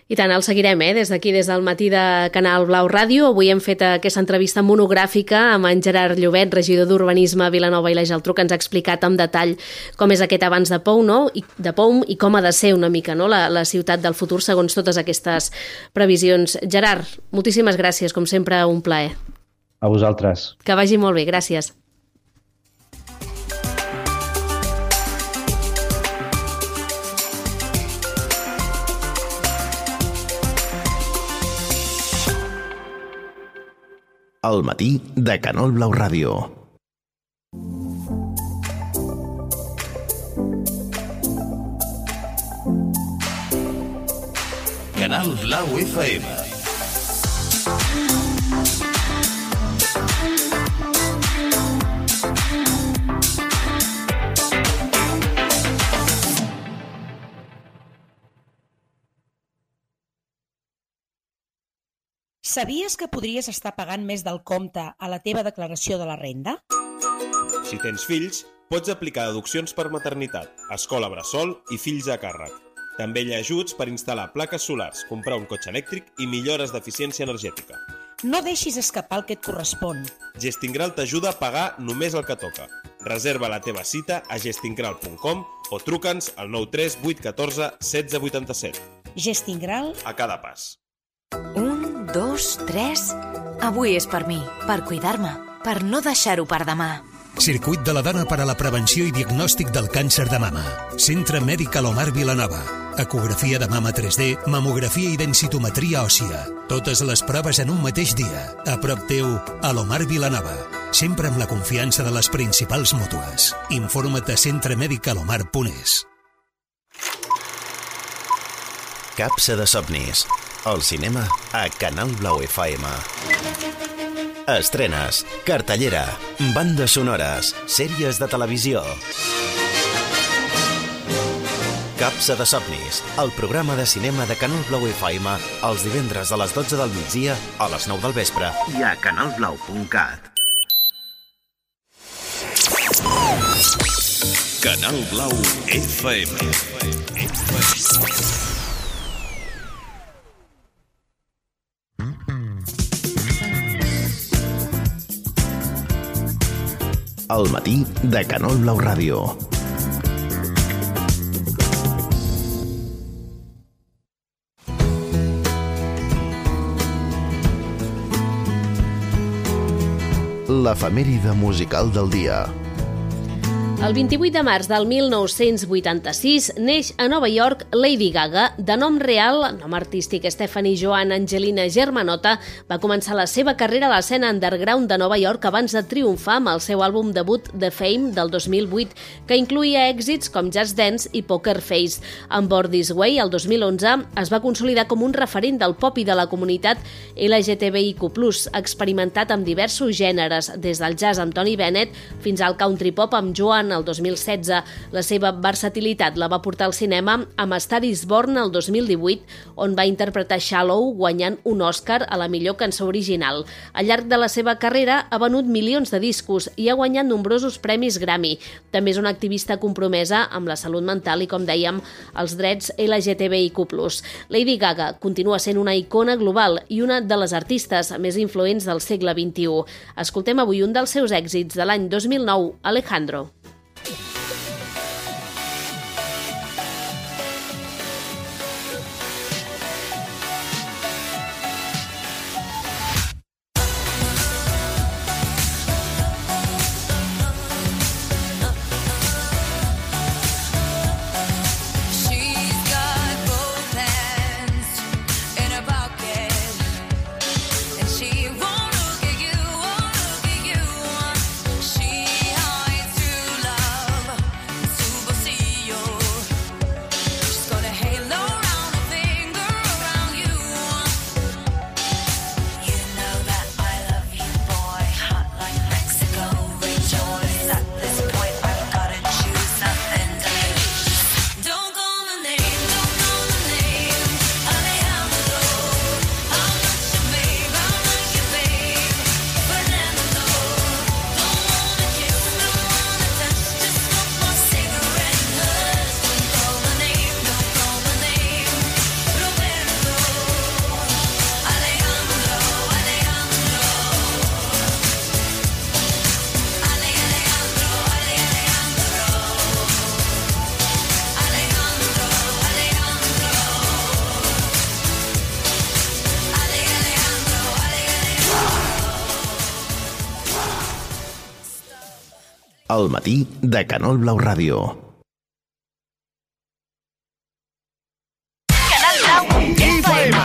I tant, el seguirem, des d'aquí, des del matí de Canal Blau Ràdio. Avui hem fet aquesta entrevista monogràfica amb en Gerard Llobet, regidor d'Urbanisme a Vilanova i la Geltrú, que ens ha explicat en detall com és aquest avanç de POUM, no? I com ha de ser una mica, no? la ciutat del futur segons totes aquestes previsions. Gerard, moltíssimes gràcies, com sempre, un plaer. A vosaltres. Que vagi molt bé, gràcies. El matí de Canal Blau Ràdio. Canal Blau FM. Sabies que podries estar pagant més del compte a la teva declaració de la renda? Si tens fills, pots aplicar deduccions per maternitat, escola bressol i fills a càrrec. També hi ha ajuts per instal·lar plaques solars, comprar un cotxe elèctric i millores d'eficiència energètica. No deixis escapar el que et correspon. Gestingral t'ajuda a pagar només el que toca. Reserva la teva cita a gestingral.com o truca'ns al 93 814 1687. Gestingral a cada pas. 1, 2, 3... Avui és per mi, per cuidar-me, per no deixar-ho per demà. Circuit de la dona per a la prevenció i diagnòstic del càncer de mama. Centre Mèdic Alomar Vilanova. Ecografia de mama 3D, mamografia i densitometria òssia. Totes les proves en un mateix dia. A prop teu, Alomar Vilanova. sempre amb la confiança de les principals mútues. Informa't a centremedicalomar.es. Capsa de somnis. El cinema a Canal Blau FM. Estrenes, cartellera, bandes sonores, sèries de televisió. Capsa de somnis, el programa de cinema de Canal Blau FM, els divendres a les 12 del migdia, a les 9 del vespre i a canalblau.cat. Canal Blau FM. El matí de Canal Blau Ràdio. L'efemèride musical del dia. El 28 de març del 1986 neix a Nova York Lady Gaga. De nom real, nom artístic Stephanie Joan Angelina Germanotta, va començar la seva carrera a l'escena underground de Nova York abans de triomfar amb el seu àlbum debut The Fame del 2008, que incluïa èxits com Just Dance i Poker Face. Amb Born This Way, el 2011, es va consolidar com un referent del pop i de la comunitat LGTBIQ+, experimentat amb diversos gèneres, des del jazz amb Tony Bennett fins al country pop amb Joan el 2016. La seva versatilitat la va portar al cinema amb Star is Born el 2018, on va interpretar Shallow, guanyant un Òscar a la millor cançó original. Al llarg de la seva carrera ha venut milions de discos i ha guanyat nombrosos premis Grammy. També és una activista compromesa amb la salut mental i, com dèiem, els drets LGTBIQ+. Lady Gaga continua sent una icona global i una de les artistes més influents del segle XXI. Escoltem avui un dels seus èxits de l'any 2009, Alejandro. El matí de Canal Blau Ràdio. Canal Blau FM.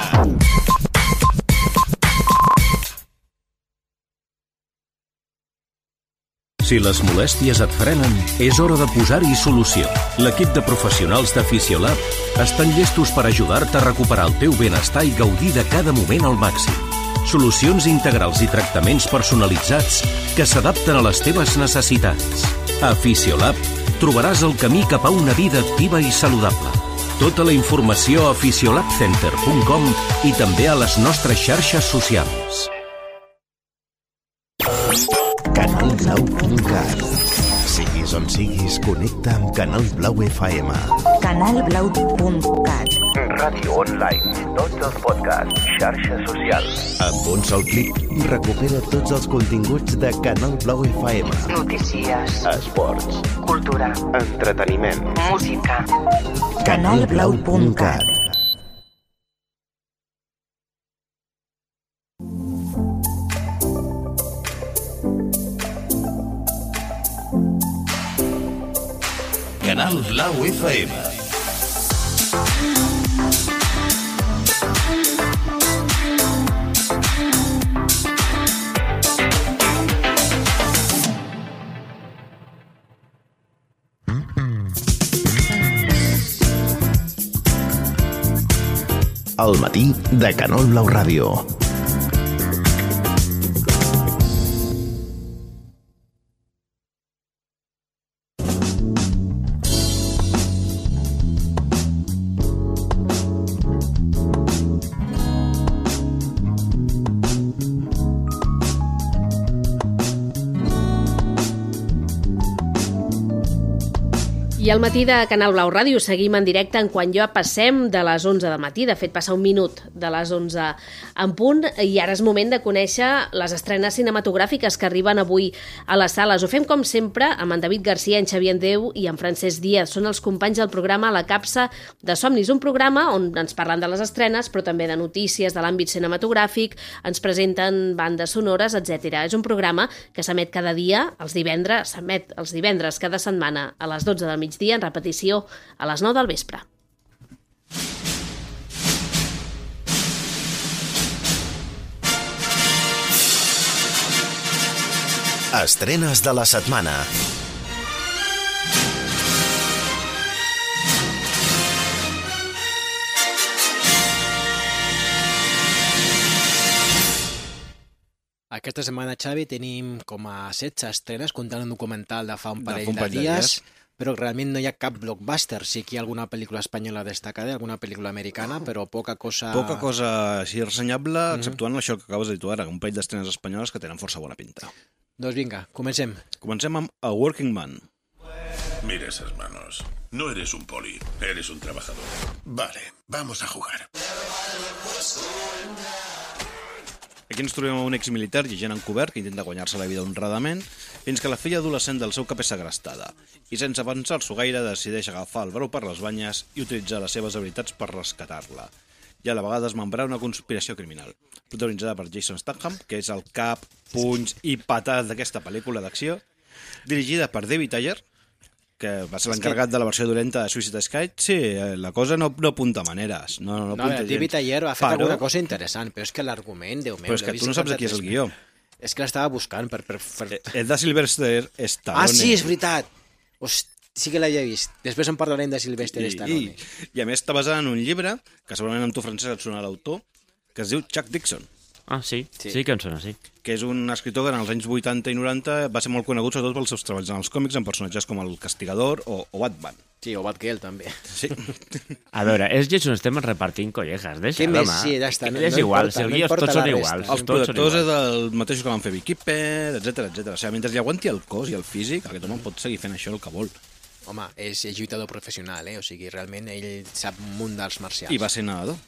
Si les molèsties et frenen, és hora de posar-hi solució. L'equip de professionals de Fisiolab estan llestos per ajudar-te a recuperar el teu benestar i gaudir de cada moment al màxim. Solucions integrals i tractaments personalitzats que s'adapten a les teves necessitats. A Fisiolab trobaràs el camí cap a una vida activa i saludable. Tota la informació a fisiolabcenter.com i també a les nostres xarxes socials. Canalblau.cat. Siguis on siguis, connecta amb Canal Blau FM. Canalblau.cat. Ràdio online, tots els podcasts, xarxes socials. Amb un sol clic, recupera tots els continguts de Canal Blau FM. Notícies, esports, cultura, entreteniment, música. Canalblau.cat. Canal Blau FM. al matí de Canal Blau Ràdio. I al matí de Canal Blau Ràdio seguim en directe en quan ja passem de les 11 del matí. De fet, passa un minut de les 11 en punt i ara és moment de conèixer les estrenes cinematogràfiques que arriben avui a les sales. Ho fem com sempre amb en David Garcia, en Xavier Andreu i en Francesc Díaz. Són els companys del programa La Capsa de Somnis, un programa on ens parlen de les estrenes però també de notícies de l'àmbit cinematogràfic, ens presenten bandes sonores, etc. És un programa que s'emet cada dia, s'emet els divendres cada setmana a les 12 del migdia, en repetició a les 9 del vespre. Estrenes de la setmana. Aquesta setmana, Xavi, tenim com a 16 estrenes, comptant un documental de fa un parell de dies, però realment no hi ha cap blockbuster. Sí que hi ha alguna pel·lícula espanyola destacada, alguna pel·lícula americana, però poca cosa... Poca cosa així ressenyable, exceptuant això que acabes de dir tu ara, un parell d'estrenes espanyoles que tenen força bona pinta. Doncs vinga, comencem. Comencem amb A Working Man. Mira esas manos. No eres un poli, eres un trabajador. Vale, vamos a jugar. Aquí ens trobem un exmilitar i agent encobert que intenta guanyar-se la vida honradament fins que la filla adolescent del seu cap és segrestada i sense pensar-s'ho gaire decideix agafar el brou per les banyes i utilitzar les seves habilitats per rescatar-la i a la vegada desmembrar una conspiració criminal protagonitzada per Jason Statham, que és el cap, punys i patat d'aquesta pel·lícula d'acció, dirigida per David Ayer, que va ser l'encarregat de la versió dolenta de Suicide Squad. Sí, la cosa no apunta maneres. No, David Ayer ha fet alguna cosa interessant, però és que l'argument, Déu meu... Però és que tu no saps de qui és el guió. És que l'estava buscant per... El de Sylvester Stallone. Ah, sí, és veritat! Sí que l'havia vist. Després en parlarem de Sylvester Stallone. I a més està basada en un llibre, que segurament amb tu, Francesc, et sona l'autor, que es diu Chuck Dixon. Ah, sí que em sona, sí. Que és un escriptor que en els anys 80 i 90 va ser molt conegut sobretot pels seus treballs en els còmics amb personatges com el Castigador o Batman. Sí, o Batgirl també. Sí. A veure, és Jason Statham repartint collejas, deixa, home. Sí, ja està. És igual, els guions tots són iguals. Els productors és el mateix que van fer Beekeeper, etc. O sigui, mentre li aguanti el cos i el físic, aquest home pot seguir fent això el que vol. Home, és lluitador professional, o sigui, realment ell sap un munt d'arts marcials. I va ser nedador.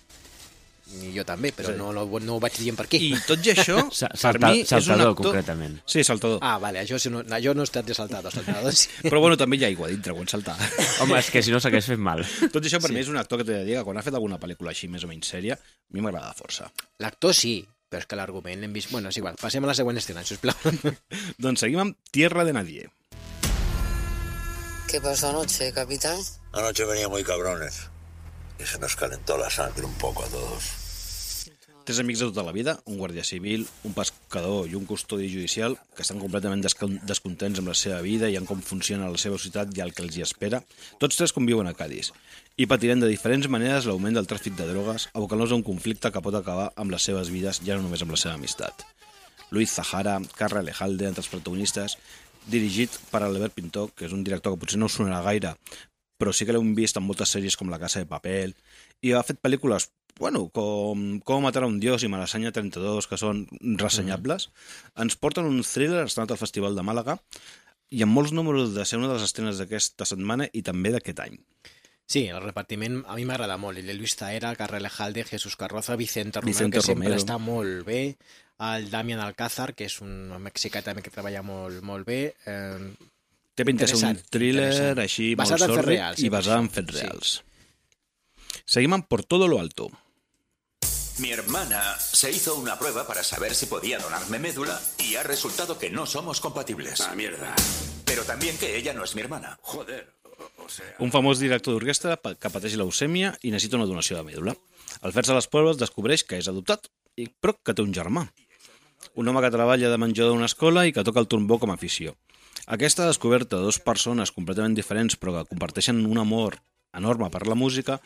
I jo també, però no ho vaig dient per aquí. I tot i això, per mi és un actor... Saltador, concretament. Sí, saltador. Ah, vale, jo no he estat de saltador. Sí. Però bueno, també hi ha aigua dintre quan saltar. Home, és que si no s'hagués fet mal. Tot i això, per mi és un actor que t'he de dir que quan ha fet alguna pel·lícula així més o menys sèria, a mi m'agrada força. L'actor sí, però és que l'argument l'hem vist... Bueno, és igual, passem a la següent escena, sisplau. Doncs seguim amb Tierra de Nadie. ¿Qué pasó anoche, capitán? Anoche venía muy cabrones y se nos calentó la sangre un poco a todos. Tres amics de tota la vida, un guàrdia civil, un pescador i un custodi judicial que estan completament descontents amb la seva vida i en com funciona la seva ciutat i el que els hi espera. Tots tres conviuen a Cádiz i patiran de diferents maneres l'augment del tràfic de drogues, abocant-los a un conflicte que pot acabar amb les seves vides, ja no només amb la seva amistat. Luis Zahara, Carra Alejalde, entre els protagonistes, dirigit per Albert Pintor, que és un director que potser no us sonarà gaire, però sí que l'hem vist en moltes sèries com La Casa de Papel, i ha fet pel·lícules com matar a un dios i Malasaña 32, que són ressenyables. Ens porten un thriller estrenat al Festival de Màlaga i amb molts números de ser una de les estrenes d'aquesta setmana i també d'aquest any. Sí, el repartiment a mi m'agrada molt. El de Luis Zahara, Carra Alejalde, Jesús Carroza, Vicente Romero, que sempre està molt bé. El Damián Alcázar, que és un mexicà també que treballa molt bé. Té pinta de ser un thriller així molt sordi i basat en fets reals. Seguim amb Por todo lo alto. Mi hermana se hizo una prueba para saber si podía donarme médula y ha resultado que no somos compatibles. Ah, mierda. Pero también que ella no es mi hermana. Joder, o sea... Un famós director d'orquestra que pateix leucèmia i necessita una donació de mèdula. Al fer-se les proves descobreix que és adoptat, però que té un germà. Un home que treballa de menjador d'una escola i que toca el trombó com a afició. Aquesta descoberta de dues persones completament diferents però que comparteixen un amor enorme per la música,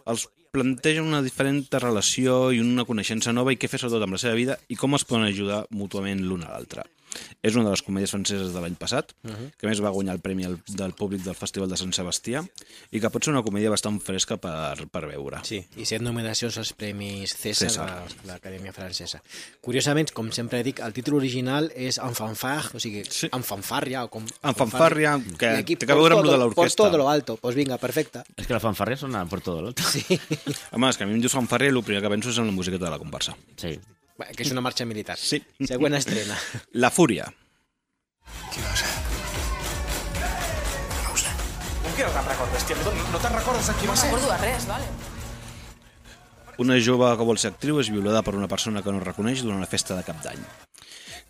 els planteja una diferent relació i una coneixença nova i què fer sobretot amb la seva vida i com es poden ajudar mútuament l'un a l'altre. És una de les comèdies franceses de l'any passat, que a més va guanyar el premi del públic del Festival de Sant Sebastià i que pot ser una comèdia bastant fresca per veure. Sí, i 7 nominacions als Premis César de l'Acadèmia Francesa. Curiosament, com sempre dic, el títol original és En fanfare, o sigui, en fanfàrria. En fanfàrria, que té a veure amb lo de l'orquestra. Por todo lo alto, pues vinga, perfecte. És que la fanfàrria sona por todo lo alto. Sí. Home, és que a mi em dius fanfàrria i el primer que penso és en la musiqueta de la comparsa. Sí. Que és una marxa militar. Sí. Següent estrena. La Fúria. ¿Qué va a ser? No ho sé. Com que no te'n recordes, tia? No te'n recordes de qui va ser? No recordo de res, vale. Una jove que vol ser actriu és violada per una persona que no reconeix durant una festa de cap d'any.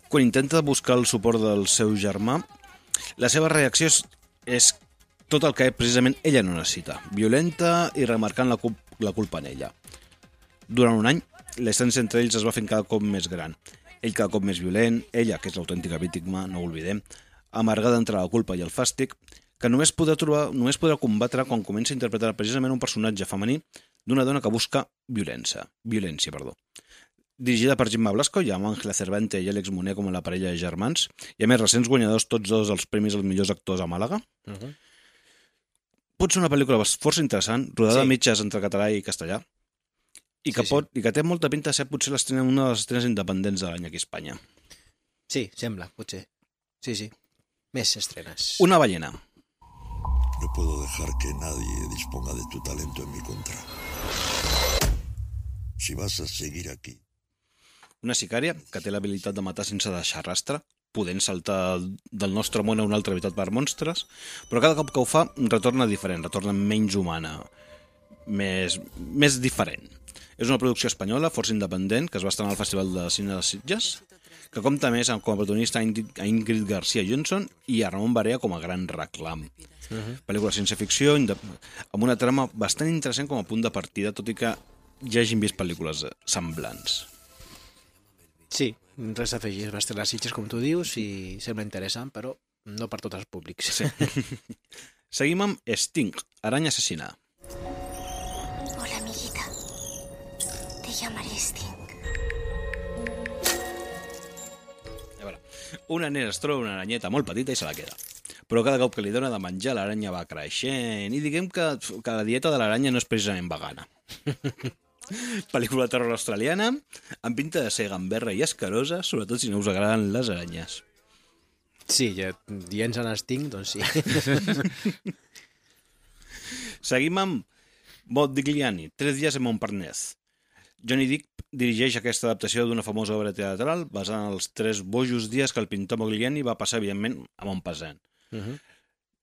Quan intenta buscar el suport del seu germà, la seva reacció és tot el que precisament ella no necessita, violenta i remarcant la culpa en ella. Durant un any, la distància entre ells es va fent cada cop més gran. Ell cada cop més violent, ella, que és l'autèntica víctima, no ho oblidem, amargada entre la culpa i el fàstic, que només podrà combatre quan comença a interpretar precisament un personatge femení d'una dona que busca violència. Dirigida per Gemma Blasco i amb Ángela Cervante i Àlex Moner com a la parella de germans, i a més recents guanyadors tots dos dels premis als millors actors a Màlaga. Pot ser una pel·lícula força interessant, rodada a mitges entre català i castellà, i que té molta pinta de ser potser una de les estrenes independents de l'any aquí a Espanya. Sí, sembla, potser. Sí. Més estrenes. Una ballena. No puedo dejar que nadie disponga de tu talento en mi contra. Si vas a seguir aquí... Una sicària que té l'habilitat de matar sense deixar rastre, podent saltar del nostre món a una altra habitat per monstres, però cada cop que ho fa retorna diferent, retorna menys humana, més diferent. És una producció espanyola, força independent, que es va estrenar al Festival de Cine de Sitges, que compta més com a protagonista a Ingrid García Johnson i a Ramon Barea com a gran reclam. Pel·lícula de ciència-ficció amb una trama bastant interessant com a punt de partida, tot i que ja hagin vist pel·lícules semblants. Sí, res a afegir. Va estrenar a Sitges, com tu dius, i sembla interessant, però no per tots els públics. Sí. Seguim amb Sting, aranya assassina. Hola, amiguita. Te llamaré Sting. Una nena es troba una aranyeta molt petita i se la queda. Però cada cop que li dona de menjar, l'aranya va creixent. I diguem que la dieta de l'aranya no és precisament vegana. Pel·lícula de terror australiana, amb pinta de ser gamberra i escarosa, sobretot si no us agraden les aranyes. Sí, ja dient en Sting, doncs sí. Seguim amb Modigliani, 3 dies en Montparnasse. Johnny Depp dirigeix aquesta adaptació d'una famosa obra teatral basada en els 3 bojos dies que el pintor Modigliani va passar, evidentment, a Montparnasse.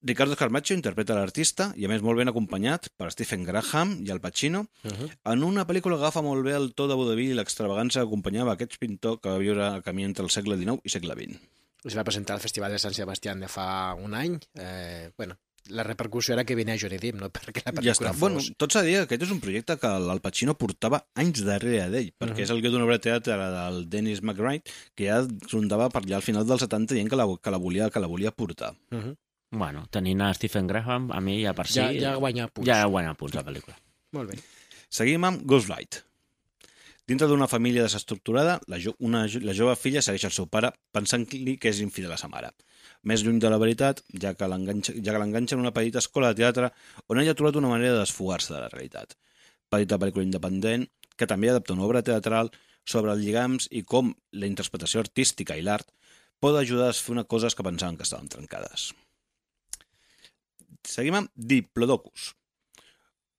Ricardo Carmaccio interpreta l'artista i, a més, molt ben acompanyat per Stephen Graham i Al Pacino, en una pel·lícula que agafa molt bé el to de vodevil i l'extravagància que acompanyava aquest pintor que va viure a camí entre el segle XIX i segle XX. Es va presentar al Festival de Sant Sebastià de fa un any. La repercussió era que venia Johnny Depp, no perquè la pel·lícula fos... Bueno, tot s'ha de dir que aquest és un projecte que el Pacino portava anys darrere d'ell, perquè és el guió d'una obra de teatre del Dennis McBride, que ja rondava per allà al final dels 70 dient que la volia portar. Bueno, tenint a Stephen Graham, a mi ja per si... Ja guanya punts. Ja guanya punts la pel·lícula. Molt bé. Seguim amb Ghostlight. Dintre d'una família desestructurada, la jove filla segueix el seu pare pensant-li que és infidel a sa mare. Més lluny de la veritat, ja que l'enganxa en una petita escola de teatre on ella ha trobat una manera de desfogar-se de la realitat. Petita pel·lícula independent que també adapta una obra teatral sobre els lligams i com la interpretació artística i l'art pot ajudar a fer coses que pensaven que estaven trencades. Seguim amb Diplodocus.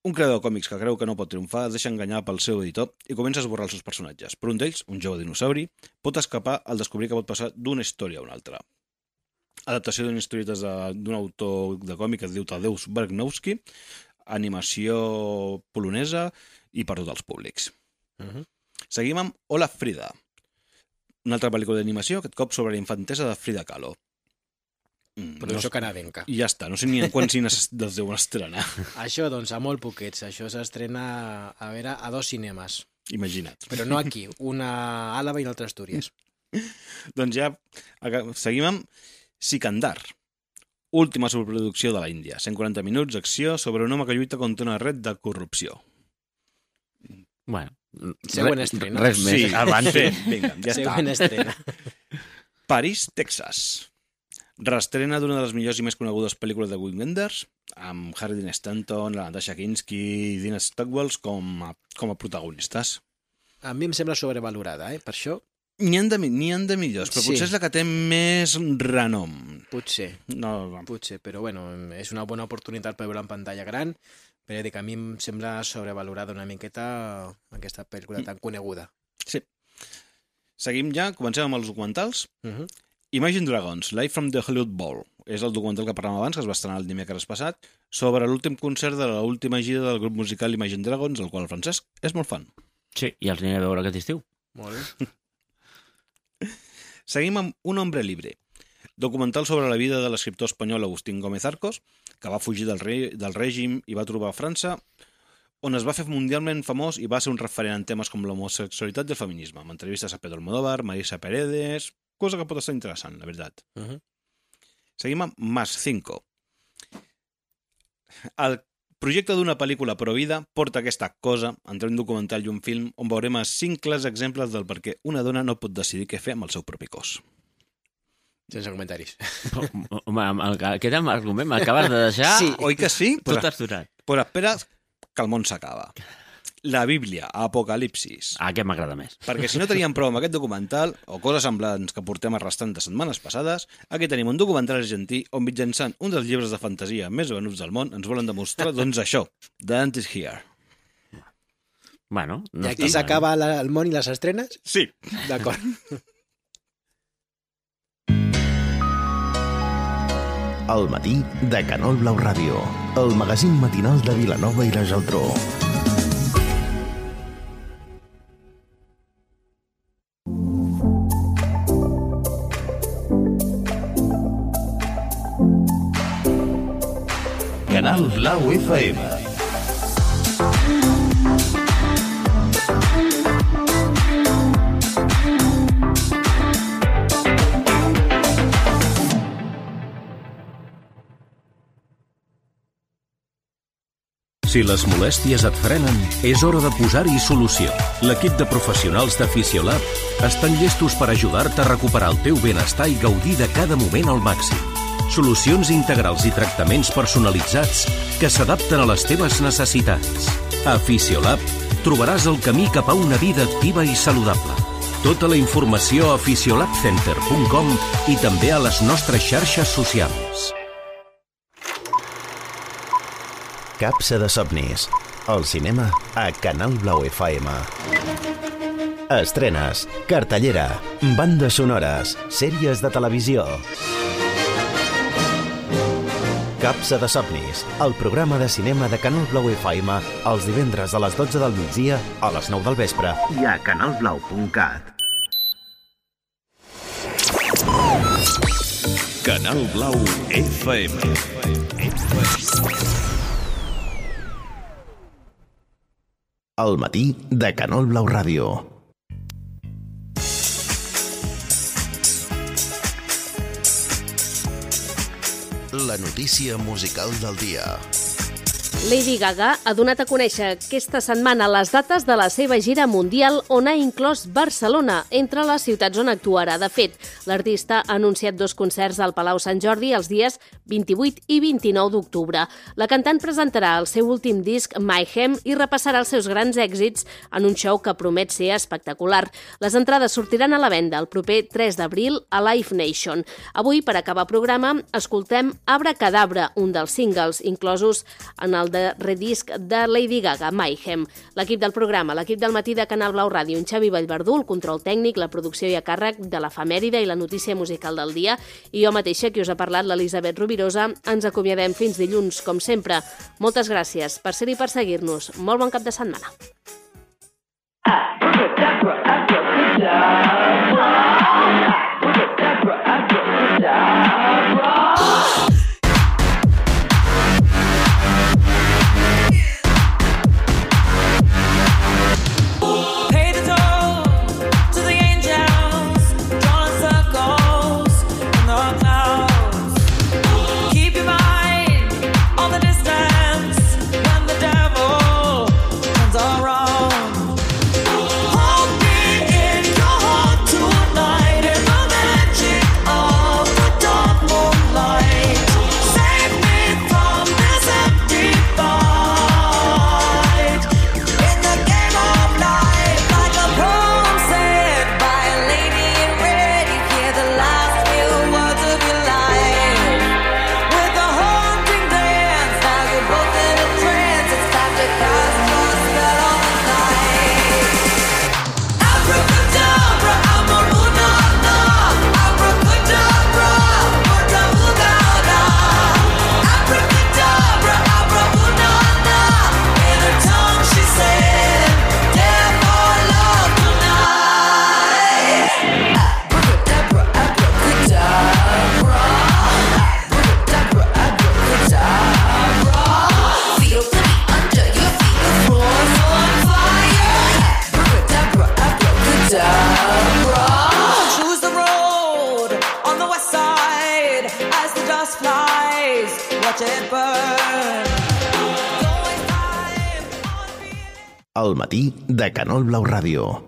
Un creador de còmics que creu que no pot triomfar es deixa enganyar pel seu editor i comença a esborrar els seus personatges. Però un d'ells, un jove dinosauri, pot escapar al descobrir que pot passar d'una història a una altra. Adaptació d'unes historietes d'un autor de còmic que es diu Tadeusz Bergnowski, animació polonesa i per tots els públics. Seguim amb Hola Frida, una altra pel·lícula d'animació, aquest cop sobre la infantesa de Frida Kahlo. Producció canadenca. I ja està, no sé ni en quants cines es deuen estrenar. Això, doncs, a molt poquets. Això s'estrena, a 2 cinemes. Imagina't. Però no aquí, una a Àlava i una altra a Astúries. Doncs ja seguim amb Sikandar, última superproducció de l'Índia. 140 minuts d'acció sobre un home que lluita contra una red de corrupció. Bueno, següent estrena. Res més. Sí, Avance. Vinga, ja Següent està. estrena. París, Texas. Reestrena d'una de les millors i més conegudes pel·lícules de Wim Wenders, amb Harry Dean Stanton, la Natasha Kinski i Dean Stockwell com a protagonistes. A mi em sembla sobrevalorada, per això... N'hi ha de millors, però potser és la que té més renom. Potser, però bueno, és una bona oportunitat per veure en pantalla gran, però ja dic, a mi em sembla sobrevalorada una miqueta aquesta pel·lícula tan coneguda. Sí. Seguim ja, comencem amb els documentals. Imagine Dragons, Live from the Hollywood Bowl. És el documental que parlàvem abans, que es va estrenar el dimecres passat, sobre l'últim concert de l'última gira del grup musical Imagine Dragons, el qual el Francesc és molt fan. Sí, i els aniré a veure aquest estiu. Molt bé. Seguim amb Un hombre libre, documental sobre la vida de l'escriptor espanyol Agustín Gómez Arcos, que va fugir del règim i va trobar a França, on es va fer mundialment famós i va ser un referent en temes com l'homosexualitat i el feminisme, amb entrevistes a Pedro Almodóvar, Marisa Paredes, cosa que pot estar interessant, la veritat. Seguim amb Más 5. El projecte d'una pel·lícula pro vida porta aquesta cosa entre un documental i un film on veurem 5 clars exemples del per què una dona no pot decidir què fer amb el seu propi cos. Sense comentaris. Home, aquest argument m'acabes de deixar... Sí, oi que sí? Tot aturat. Però espera que el món s'acaba. La Bíblia, Apocalipsis. Aquest m'agrada més. Perquè si no teníem prou amb aquest documental, o coses semblants que portem arrastrant de setmanes passades, aquí tenim un documental argentí on mitjançant un dels llibres de fantasia més venuts del món ens volen demostrar, doncs això, The End is Here. Bueno, I aquí s'acaba el món i les estrenes? Sí. D'acord. El matí de Canal Blau Ràdio, el magazín matinal de Vilanova i la Geltrú. Canal Blau FM. Si les molèsties et frenen, és hora de posar-hi solució. L'equip de professionals de Fisiolab estan llestos per ajudar-te a recuperar el teu benestar i gaudir de cada moment al màxim. Solucions integrals i tractaments personalitzats que s'adapten a les teves necessitats. A Fisiolab trobaràs el camí cap a una vida activa i saludable. Tota la informació a fisiolabcenter.com i també a les nostres xarxes socials. Capsa de somnis. El cinema a Canal Blau FM. Estrenes, cartellera, bandes sonores, sèries de televisió. Capsa de somnis, el programa de cinema de Canal Blau FM els divendres a les 12 del migdia, a les 9 del vespre i a canalblau.cat. Canal Blau FM. El matí de Canal Blau Ràdio. La notícia musical del dia. Lady Gaga ha donat a conèixer aquesta setmana les dates de la seva gira mundial on ha inclòs Barcelona entre les ciutats on actuarà. De fet, l'artista ha anunciat 2 concerts al Palau Sant Jordi els dies 28 i 29 d'octubre. La cantant presentarà el seu últim disc, Mayhem, i repassarà els seus grans èxits en un show que promet ser espectacular. Les entrades sortiran a la venda el proper 3 d'abril a Live Nation. Avui, per acabar programa, escoltem Abracadabra, un dels singles inclosos en el de redisc de Lady Gaga, Mayhem. L'equip del programa, l'equip del matí de Canal Blau Ràdio, en Xavi Vallverdú, el control tècnic, la producció i a càrrec de l'efemèride i la notícia musical del dia, i jo mateixa, qui us ha parlat, l'Elisabet Rovirosa, ens acomiadem fins dilluns, com sempre. Moltes gràcies per ser-hi i per seguir-nos. Molt bon cap de setmana. All the distance when the devil turns around. watch it burn. El matí de Canal Blau Ràdio.